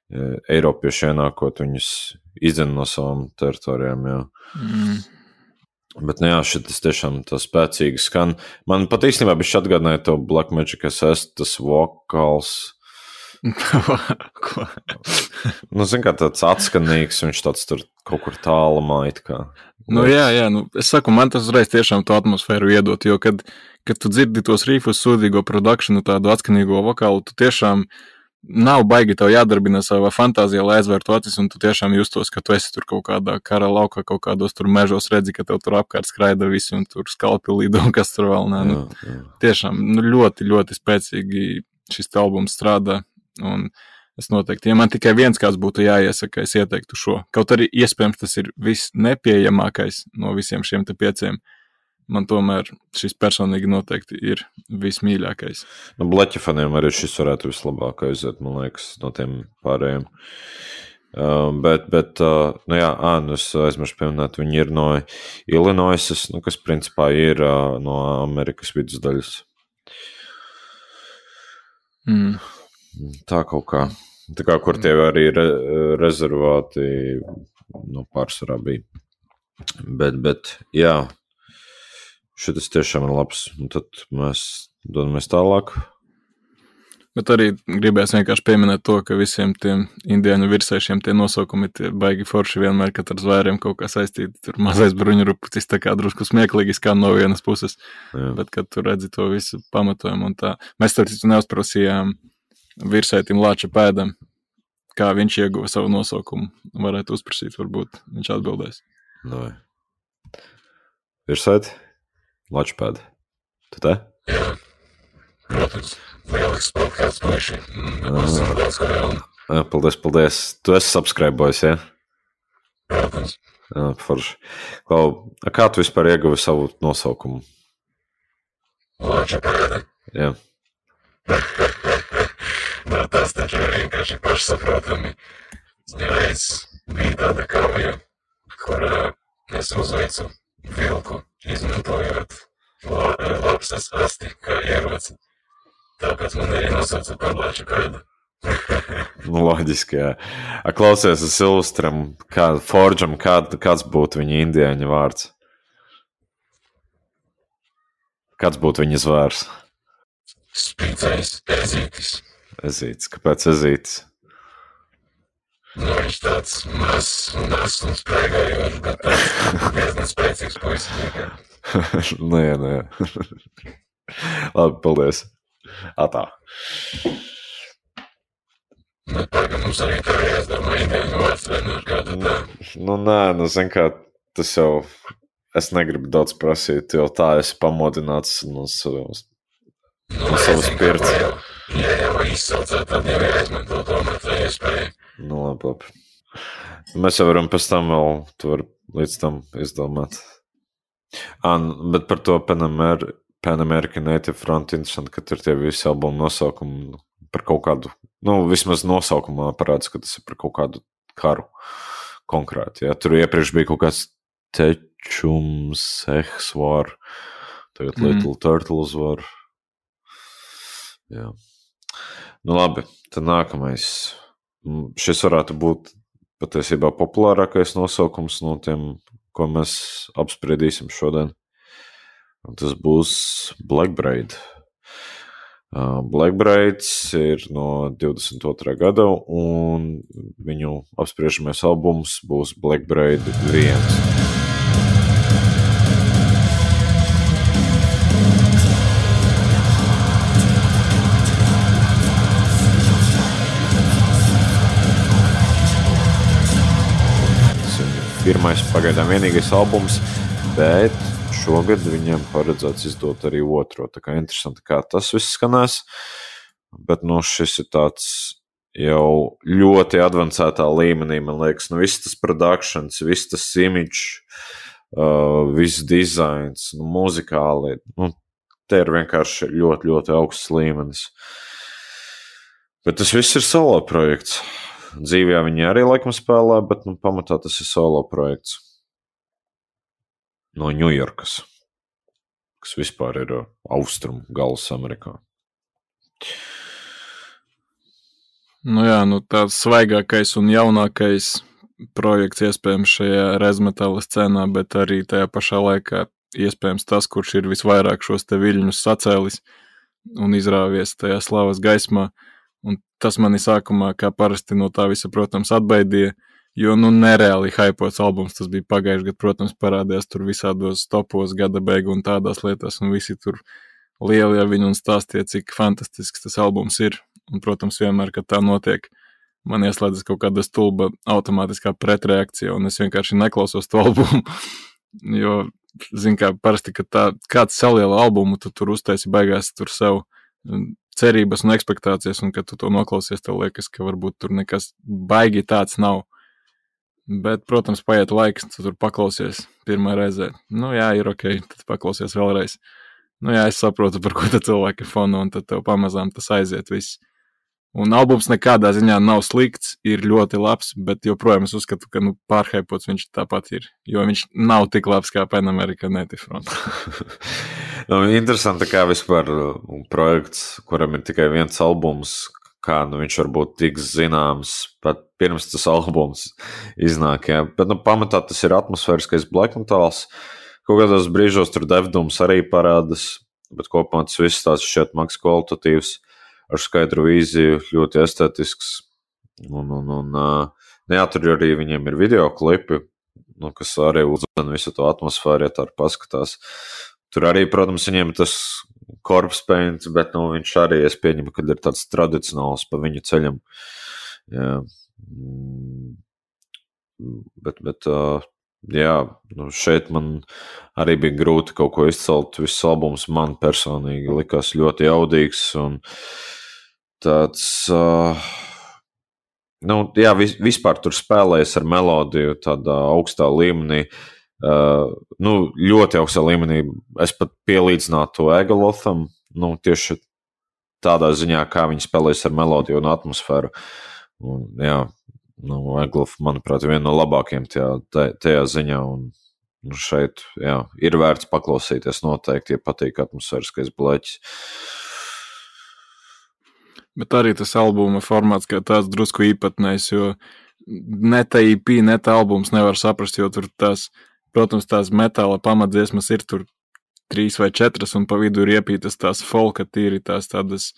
Eiropieši ienākot, viņus izdzen no savām teritorijām, jā. Mm. Bet, nu jā, šitas tiešām tā spēcīgi skan. Man pat īstenībā bišķi atgādināja to Black Magic es esmu, tas vokāls. Ko? Nu, zin kā tāds atskanīgs, viņš tāds tur kaut kur tālumā it kā. Nu jā, jā, nu, es saku, man tas uzreiz tiešām to atmosfēru iedot, jo kad, kad tu dzirdi tos rīfus, sūdīgo produkšanu, tādu atskanīgo vokālu, tu tiešām nav baigi tev jādarbina savā fantāzijā, lai aizvērtu acis, un tu tiešām justos, ka tu esi tur kaut kādā kara laukā, kaut kādos tur mežos redzi, ka tev tur apkārt skraida visi, un tur skalpi lido, un kas tur vēl nē. Nu, jā, jā. Tiešām, nu, ļoti, ļoti spēcīgi šis albums strādā, un es noteikti, ja man tikai viens kāds būtu jāiesaka, es ieteiktu šo. Kaut arī iespējams tas ir viss nepieejamākais no visiem šiem te pieciem. Man tomēr šis personīgi noteikti ir vismīļākais. Nu, Bleķa faniem arī šis varētu vislabāk aiziet, man liekas, no tiem pārējiem. Uh, bet, bet uh, nu jā, ā, nu es aizmiršu pieminēt, viņi ir no Illinoisas, nu, kas principā ir uh, no Amerikas vidusdaļas. Mm. Tā kaut kā. Tā kā, kur tie arī re, rezervāti, nu, pārsvarā bija. Bet, bet, jā, šitas tiešām ir labs. Un tad mēs dodamies tālāk. Bet arī gribēs vienkārši pieminēt to, ka visiem tiem indiāņu virsēšiem tie nosaukumi tie baigi forši vienmēr, kad ar zvēriem kaut kā saistīti. Tur mazais bruņurupucis tā kā drusku smieklīgi skan no vienas puses. Jā. Bet, kad tu redzi to visu pamatojumu un tā. Mēs tā citu neuzprasījām virsētim Lāča pēdam, kā viņš ieguva savu nosaukumu. Varētu uzprasīt, varbūt viņš atbildēs. Vai. Virsēti? Lāča pēda. Tu te? Jā, protams, lielisks podcasts paši. Daudz kā vēl. Paldies, paldies. Tu esi subscribojis, ja? Protams. Jā, forši. Klau, kā tu vispār ieguvi savu nosaukumu? Lāča pēda. Jā. Nā, tas taču ir vienkārši pašsaprotami. Reiz bija tāda kauja, kur uh, es uzveicu vilku, izmantojot la, lapsas asti kā ieroci. Tāpēc man arī nosauca par Lāča pēdu. Nu, loģiski, jā. A, klausies, es ilustram, kā, Forģam, kā, kāds būtu viņa indiāņa vārds? Kāds būtu viņa zvērs? Spīcējs ezītis. Ezītis. Kāpēc ezītis? Nu, viņš tāds mazs un mazs un sprēgājošs, bet tāds diezgan spēcīgs puisis. Nu, jā, nu, jā. Labi, paldies. Atā. Nu, pagam, mums arī tā ir jāsdomā indiāņu vārds, vai nu ir kāda tā. Nu, nē, nu, zin kā, tas jau, es negribu daudz prasīt, jo tā esi pamodināts no savas, Nu, no savas pirts. jau, ja jau izsaucāt, tad jau jāizmanto tomēr tā iespēja. Nu, labi, labi. Mēs jau varam pēc tam vēl, tu vari līdz tam izdomāt. Ā, bet par to Pan Amer- Pan American Native Front interesanti, ka tur tie visi albumu nosaukumi par kaut kādu, nu, vismaz nosaukumā parāds, ka tas ir par kaut kādu karu konkrēti. Ja? Tur iepriekš bija kaut kāds Tečums, Ehs var, tagad Mm. Little Turtles var. Jā. Nu labi, tad nākamais. Mm, Šis varētu būt patiesībā populārākais nosaukums no tiem, ko mēs apspriedīsim šodien. Un tas būs Black Braid. Uh, Black Braids ir no divdesmit otrā gada, un viņu apspriežamais albums būs Black Braid viens. Pirmais pagaidām vienīgais albums, bet šogad viņiem paredzēts izdot arī otro. Tā kā interesanti, kā tas viss skanēs, bet nu šis ir tāds jau ļoti advancētā līmenī, man liekas, nu viss tas productions, viss tas image, uh, viss dizains, nu muzikāli, nu te ir vienkārši ļoti, ļoti augsts līmenis. Bet tas viss ir solo projekts. Dzīvijā viņi arī laikam spēlē, bet nu, pamatā tas ir solo projekts no Ņujorkas, kas vispār ir austrumu galas Amerikā. Nu jā, nu tāds svaigākais un jaunākais projekts iespējams šajā rezmetala scenā, bet arī tajā pašā laikā iespējams tas, kurš ir visvairāk šos te viļņus sacēlis un izrāvies tajā slavas gaismā. Un tas mani sākumā, kā parasti no tā visa, protams, atbaidīja, jo, nu, nereāli haipots albums, tas bija pagājuši gadu, protams, parādījās tur visādos topos gada beigu un tādās lietās, un visi tur lieli ar viņu un stāstīja, cik fantastisks tas albums ir. Un, protams, vienmēr, kad tā notiek, man ieslēdzas kaut kāda stulba automātiskā pretreakcija, un es vienkārši neklausos to albumu, jo, zin kā, parasti, kad tā, kāds saliela albumu, tu tur uztaisi beigās tur sev cerības un ekspektācijas, un kad tu to noklausies, tev liekas, ka varbūt tur nekas baigi tāds nav. Bet, protams, paiet laiks, tu tur paklausies pirmā reizē. Nu jā, ir ok, tad paklausies vēlreiz. Nu jā, es saprotu, par ko te cilvēki fona, un tad tev pamazām tas aiziet viss. Un albums nekādā ziņā nav slikts, ir ļoti labs, bet joprojām es uzskatu, ka nu, pārhaipots viņš tāpat ir, jo viņš nav tik labs kā Pan American Native Front. Nu, interesanti, kā vispār projekts, kuram ir tikai viens albums, kā nu, viņš varbūt tiks zināms pat pirms tas albums iznāk. Jā. Bet nu, pamatā tas ir atmosfēriskais black metals. Kaut kādos brīžos tur devdums arī parādas, bet kopumā tas viss tāds šķiet maks kvalitatīvs. Ar skaidru vīziju, ļoti estetisks. Un, un, un jā, tur arī viņiem ir videoklipi, nu, kas arī uzdana visu to atmosfēru, ja tā arī paskatās. Tur arī, protams, viņiem tas corpse paint, bet nu, viņš arī, es pieņemu, kad ir tāds tradicionāls pa viņu ceļam. Jā. Bet, bet jā, nu, šeit man arī bija grūti kaut ko izcelt. Viss albums man personīgi likās ļoti jaudīgs un tāds, uh, nu, jā, vis, vispār tur spēlējas ar melodiju tādā augstā līmenī, uh, nu, ļoti augstā līmenī. Es pat pielīdzinātu to Egalotham, nu, tieši tādā ziņā, kā viņi spēlējas ar melodiju un atmosfēru. Un, jā, nu, Egaloth, manuprāt, viena no labākajiem tajā, tajā ziņā, un nu, šeit, jā, ir vērts paklausīties noteikti, ja patīk atmosfēriskais bleķis. Bet arī tas albuma formāts kā tāds drusku īpatnējs, jo ne tā E P, ne tā albums nevar saprast, jo tur tās, protams, tās metāla pamatdziesmas ir tur trīs vai četras, un pa vidu ir iepītas tās folka tīri, tās tādas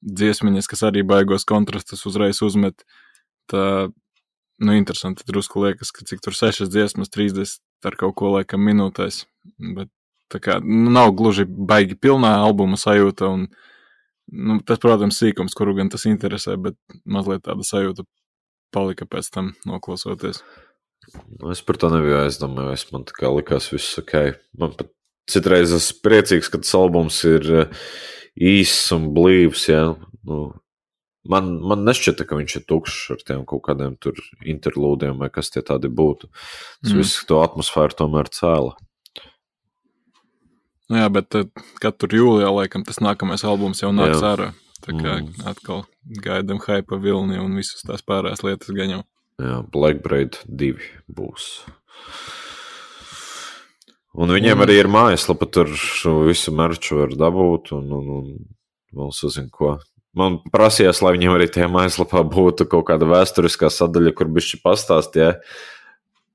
dziesmiņas, kas arī baigos kontrastus uzreiz uzmet. Tā, nu, interesanti, drusku liekas, ka cik tur sešas dziesmas, trīsdesmit ar kaut ko laikam minūtēs, bet tā kā, nu, nav gluži baigi pilnā albuma sajūta, un nu, tas, protams, sīkums, kuru gan tas interesē, bet mazliet tāda sajūta palika pēc tam noklausoties. Es par to nebiju aizdomājis, man tā kā likās viss ok. Man pat citreiz es priecīgs, ka tas albums ir īss un blīvs, jā. Nu, man, man nešķita, ka viņš ir tukšs ar tiem kaut kādiem tur interlūdiem vai kas tie tādi būtu. Tas mm. viss to atmosfēru tomēr cēla. Nu jā, bet kad tur jūlijā, laikam, tas nākamais albums jau nāks ārā. Tā kā mm. atkal gaidam hypa vilni un visas tās pārējās lietas gan jau. Jā, Blackbraid divi būs. Un viņiem mm. arī ir mājaslapa, tur visu merču var dabūt un, un, un vēl sazin ko. Man prasījās, lai viņiem arī tajā mājaslapā būtu kaut kāda vēsturiskā sadaļa, kur bišķi pastāst, ja,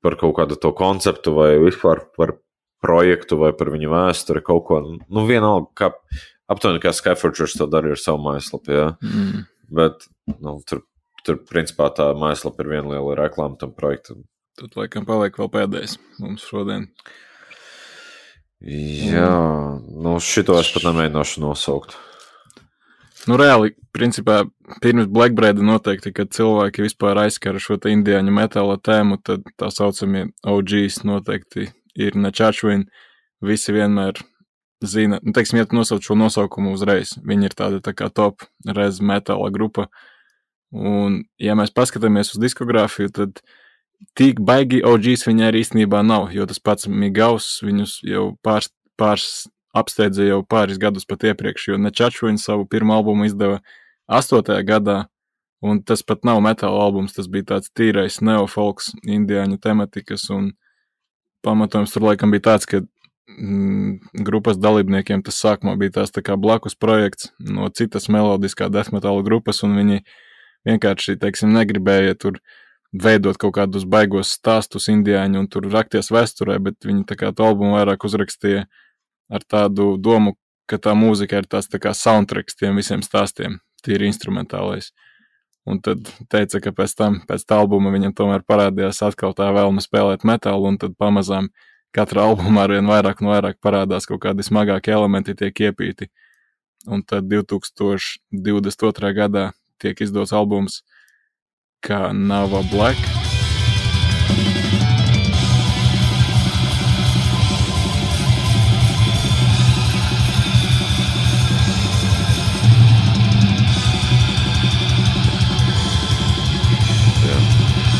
par kaut kādu to konceptu vai vispār par projektu vai par viņu vēsturi kaut ko. Nu, vienalga, kā, aptuveni kā Skyforgers to darīja ar savu mājaslapu, jā. Mm. Bet, nu, tur, tur, principā, tā mājaslapa ir viena liela reklāma tam projektam. Tad, laikam, paliek vēl pēdējais mums šodien. Jā, nu, šito es pat nemēģināšu nosaukt. Nu, reāli, principā, pirms Blackbraida noteikti, kad cilvēki vispār aizskara šo te indiāņu metāla tēmu, tad tā saucamie O Gs noteikti ir Nečačvin, visi vienmēr zina, nu, teiksim, ja tu nosauc šo nosaukumu uzreiz, viņi ir tāda tā kā top rez metāla grupa, un, ja mēs paskatāmies uz diskogrāfiju, tad tik baigi O Gs viņi arī īstenībā nav, jo tas pats Migaus viņus jau pārs, pārs apsteidza jau pāris gadus pat iepriekš, jo Nečačvin savu pirmo albumu izdeva astotajā gadā, un tas pat nav metāla albums, tas bija tāds tīrais neofolks, indiāņu tematikas, un pamatojums tur laikam bija tāds, ka mm, grupas dalībniekiem tas sākumā bija tās tā kā blakus projekts no citas melodiskā death metal grupas, un viņi vienkārši, teiksim, negribēja tur veidot kaut kādus baigos stāstus indiāņu un tur rakties vēsturē, bet viņi tā kā to albumu vairāk uzrakstīja ar tādu domu, ka tā mūzika ir tās tā kā soundtracks tiem visiem stāstiem, tīri instrumentālais. Un tad teica, ka pēc tam, pēc tā albuma viņam tomēr parādījās atkal tā vēlme spēlēt metālu, un tad pamazām katra albumā arvien vairāk un vairāk parādās kaut kādi smagāki elementi tiek iepīti. Un tad divtūkstoš divdesmit otrajā gadā tiek izdots albums kā Nava Black.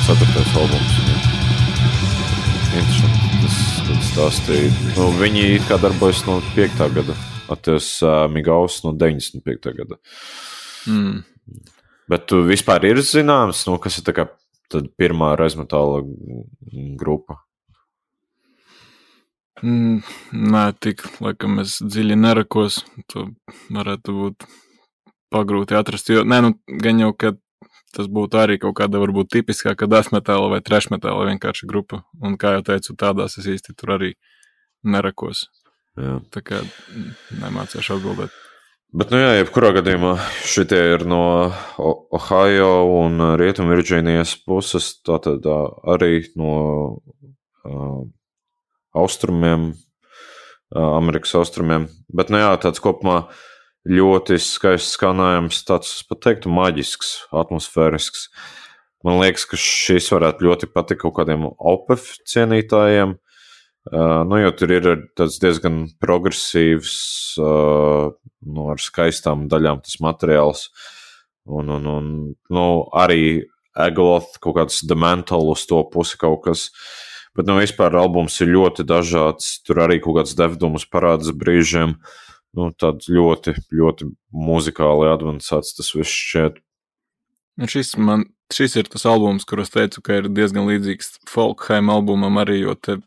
Ceturtais albums. Interesanti. Tas, tas stāstīja. Nu, viņi it kā darbojas no piektā gada. Atties uh, Migaus no deviņdesmit piektā gada. Mm. Bet tu vispār ir zināms, nu, kas ir tā kā tad pirmā rezmetāla grupa? Mm, nē, tik, laikam es dziļi nerakos. To varētu būt pagrūti atrast. Jo, nē, nu, gan jau, ka tas būtu arī kaut kāda varbūt tipiskāka death metāla vai thrash metāla vienkārši grupa. Un kā jau teicu, tādās es īsti tur arī nerakos. Jā. Tā kā nemācīšu atbildēt. Bet, nu jā, jebkurā gadījumā šitie ir no Ohio un Rietumu Virģīnijas puses, tātad arī no uh, austrumiem, uh, Amerikas austrumiem. Bet, nu jā, tāds kopumā ļoti skaists skanējums, tāds, es pat teiktu, maģisks, atmosfērisks. Man liekas, ka šis varētu ļoti patikt kaut kādiem Opeth cienītājiem, uh, nu, jo tur ir tāds diezgan progresīvs, uh, nu, ar skaistām daļām tas materiāls, un, un, un nu, arī Agaloth, kaut kāds Demental uz to pusi kaut kas, bet, nu, vispār albums ir ļoti dažāds, tur arī kaut kāds devdumus parādas brīžiem, nu, tāds ļoti, ļoti muzikāli advancēts tas viss šķiet. Šis, man, šis ir tas albums, kur es teicu, ka ir diezgan līdzīgs Folkheim albumam arī, jo te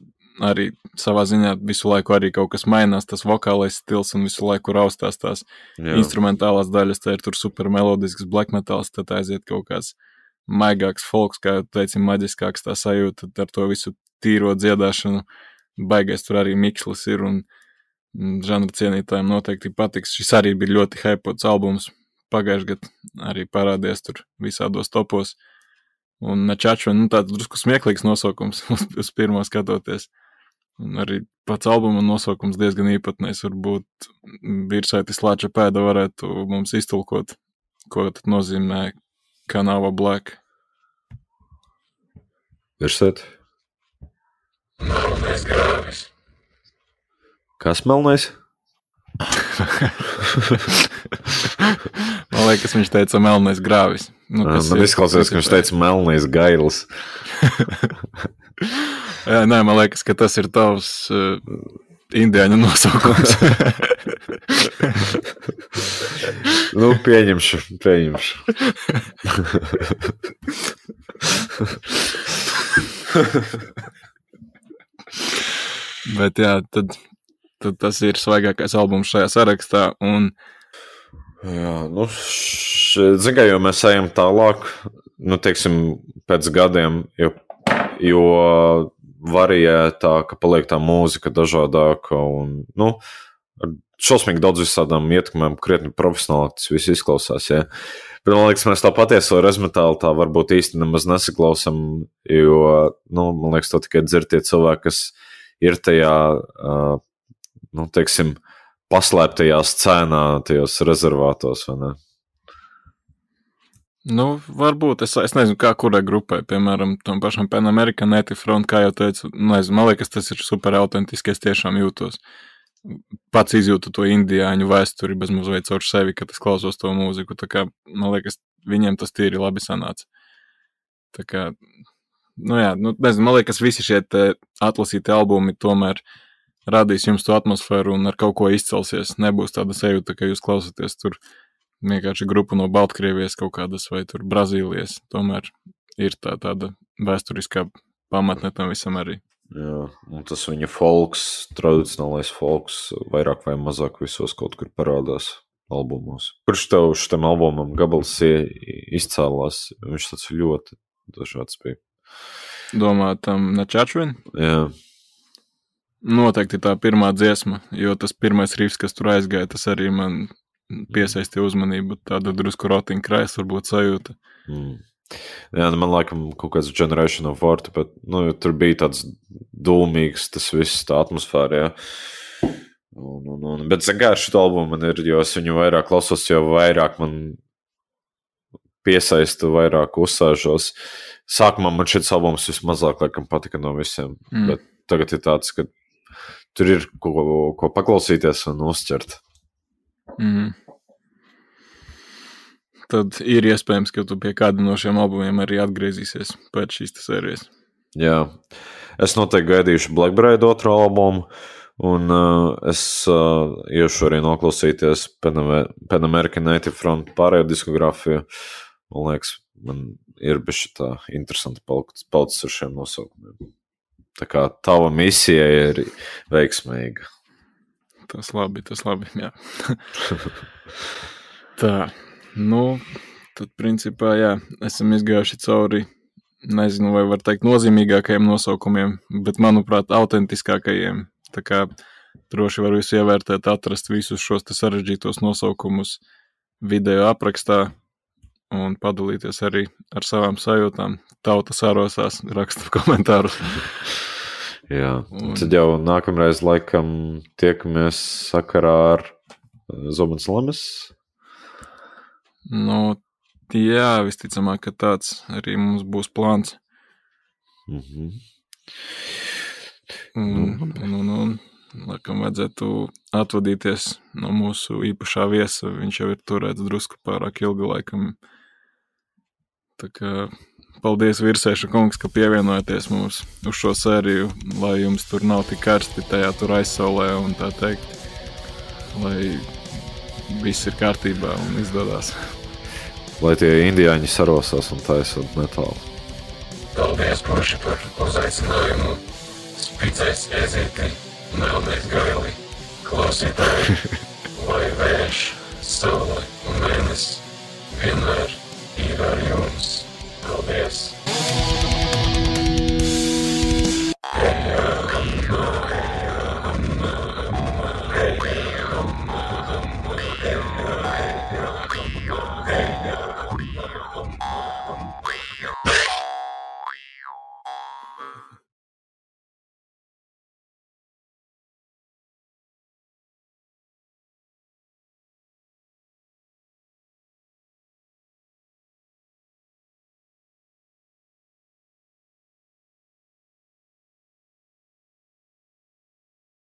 arī savā ziņā visu laiku arī kaut kas mainās, tas vokālais stils un visu laiku raustās tās Jā. Instrumentālās daļas, tā ir tur super melodisks black metals, tad aiziet kaut kāds maigāks folks, kā teicim, maģiskāks tā sajūta, ar to visu tīro dziedāšanu, baigais tur arī mikslis ir un žanra cienītājiem noteikti patiks. Šis arī bija ļoti hypots albums. Pagājuši gadu arī parādies tur visādos topos. Un Načaču, nu tāds drusku smieklīgs nosaukums uz, uz pirmo skatoties. Un arī pats albuma nosaukums diezgan īpatnējs. Varbūt virsaitis Lāča pēda varētu mums iztulkot, ko tad nozīmē Nava Black. Virsait? Melnais grāvis. Kas melnais? Man liekas, viņš teica melnais grāvis. Nu, man izklausās, ka viņš teica melnais gailis. Jā, nē, man liekas, ka tas ir tavs uh, indiāņu nosaukums. Nu, pieņemšu, pieņemšu. Bet jā, tad, tad tas ir svaigākais albums šajā sarakstā. Un... Jā, nu, zin kā, jo mēs ejam tālāk, nu, teiksim, pēc gadiem, jo, jo variētā, ka paliek tā mūzika dažādāka un, nu, šausmīgi daudz visādām ietekmēm, krietni profesionāli tas viss izklausās, jā. Bet man liekas, mēs tā patieso rezmetālu tā varbūt īsti nemaz nesaklausam, jo, nu, man liekas, to tikai dzird tie cilvēki, kas ir tajā, uh, nu, teiksim, paslēptajā scēnā, tajos rezervātos, vai ne? Nu, varbūt, es, es nezinu, kā kurai grupai, piemēram, tam pašam Pan American Native Front, kā jau teicu, nezinu, man liekas, tas ir super autentiski, es tiešām jūtos. Pats izjūtu to indiāņu vēsturi bez mazliet caur sevi, kad es klausos to mūziku, tā kā, man liekas, viņiem tas tīri labi sanāca. Tā kā, nu jā, nu, nezinu, man liekas, visi šie atlasīti albumi tomēr radīs jums to atmosfēru un ar kaut ko izcelsies. Nebūs tāda sajūta, ka jūs klausaties tur vienkārši grupu no Baltkrievijas kaut kādas vai tur Brazīlijas. Tomēr ir tā tāda vēsturiskā pamatne tam visam arī. Jā, un tas viņa folks, tradicionālais folks, vairāk vai mazāk visos kaut kur parādās. albumos. Kurš tev šitam albumam gabals izcēlās? Viņš tāds ļoti dažāds bija. Domā, tam Načačvin? Jā. Noteikti tā pirmā dziesma, jo tas pirmais rifs, kas tur aizgāja, tas arī man piesaistīja uzmanību. Tāda drusku rotiņa krājas varbūt sajūta. Mm. Jā, man laikam kaut kāds Generation of War, bet nu, tur bija tāds dūmīgs, tas viss tā atmosfēra, jā. Un, un, un, bet zagājuši šito albumu man ir, jo es viņu vairāk klausos, jo vairāk man piesaistu, vairāk uzsāžos. Sākumā man šis albums vismazāk laikam patika no visiem, mm. bet tagad ir tāds, ka tur ir ko, ko paklausīties un uzķert. Mm. Tad ir iespējams, ka tu pie kāda no šiem albumiem arī atgriezīsies pēc šīs sērijas. Jā, es noteikti gaidīšu Black Bride otro albumu, un uh, es uh, iešu arī noklausīties Pan American Native Front pārējo diskogrāfiju. Man liekas, man ir bišķi tā interesanti palicis ar šiem nosaukumiem. Tā kā tava misija ir veiksmīga. Tas labi, tas labi, jā. Tā. Nu, tad principā, jā, esam izgājuši cauri, nezinu, vai var teikt nozīmīgākajiem nosaukumiem, bet, manuprāt, autentiskākajiem. Tā kā droši var visu ievērtēt, atrast visus šos te sarežģītos nosaukumus video aprakstā un padalīties arī ar savām sajūtām. Tauta sarosās, raksta komentārus. Jā, un tad jau nākamreiz laikam tiekamies sakarā ar Zobens Lames. Nu, jā, visticamāk, ka tāds arī mums būs plāns. Mm-hmm. Un, un, un, un, laikam vajadzētu atvadīties no mūsu īpašā viesa. Viņš jau ir turēts drusku pārāk ilgu laikam. Tā kā paldies, Virsēša kungs, ka pievienojaties mums uz šo sēriju, lai jums tur nav tik karsti tajā tur aizsaulē un tā teikt, lai viss ir kārtībā un izdodās. Lai tie indiāņi sarosās un taisot metālu. Paldies, Puši, par uzaicinājumu. Spicais ezīti, melnais gaili, klausītāji, lai vējš, saule un mēnes vienmēr ir ar jums. Paldies!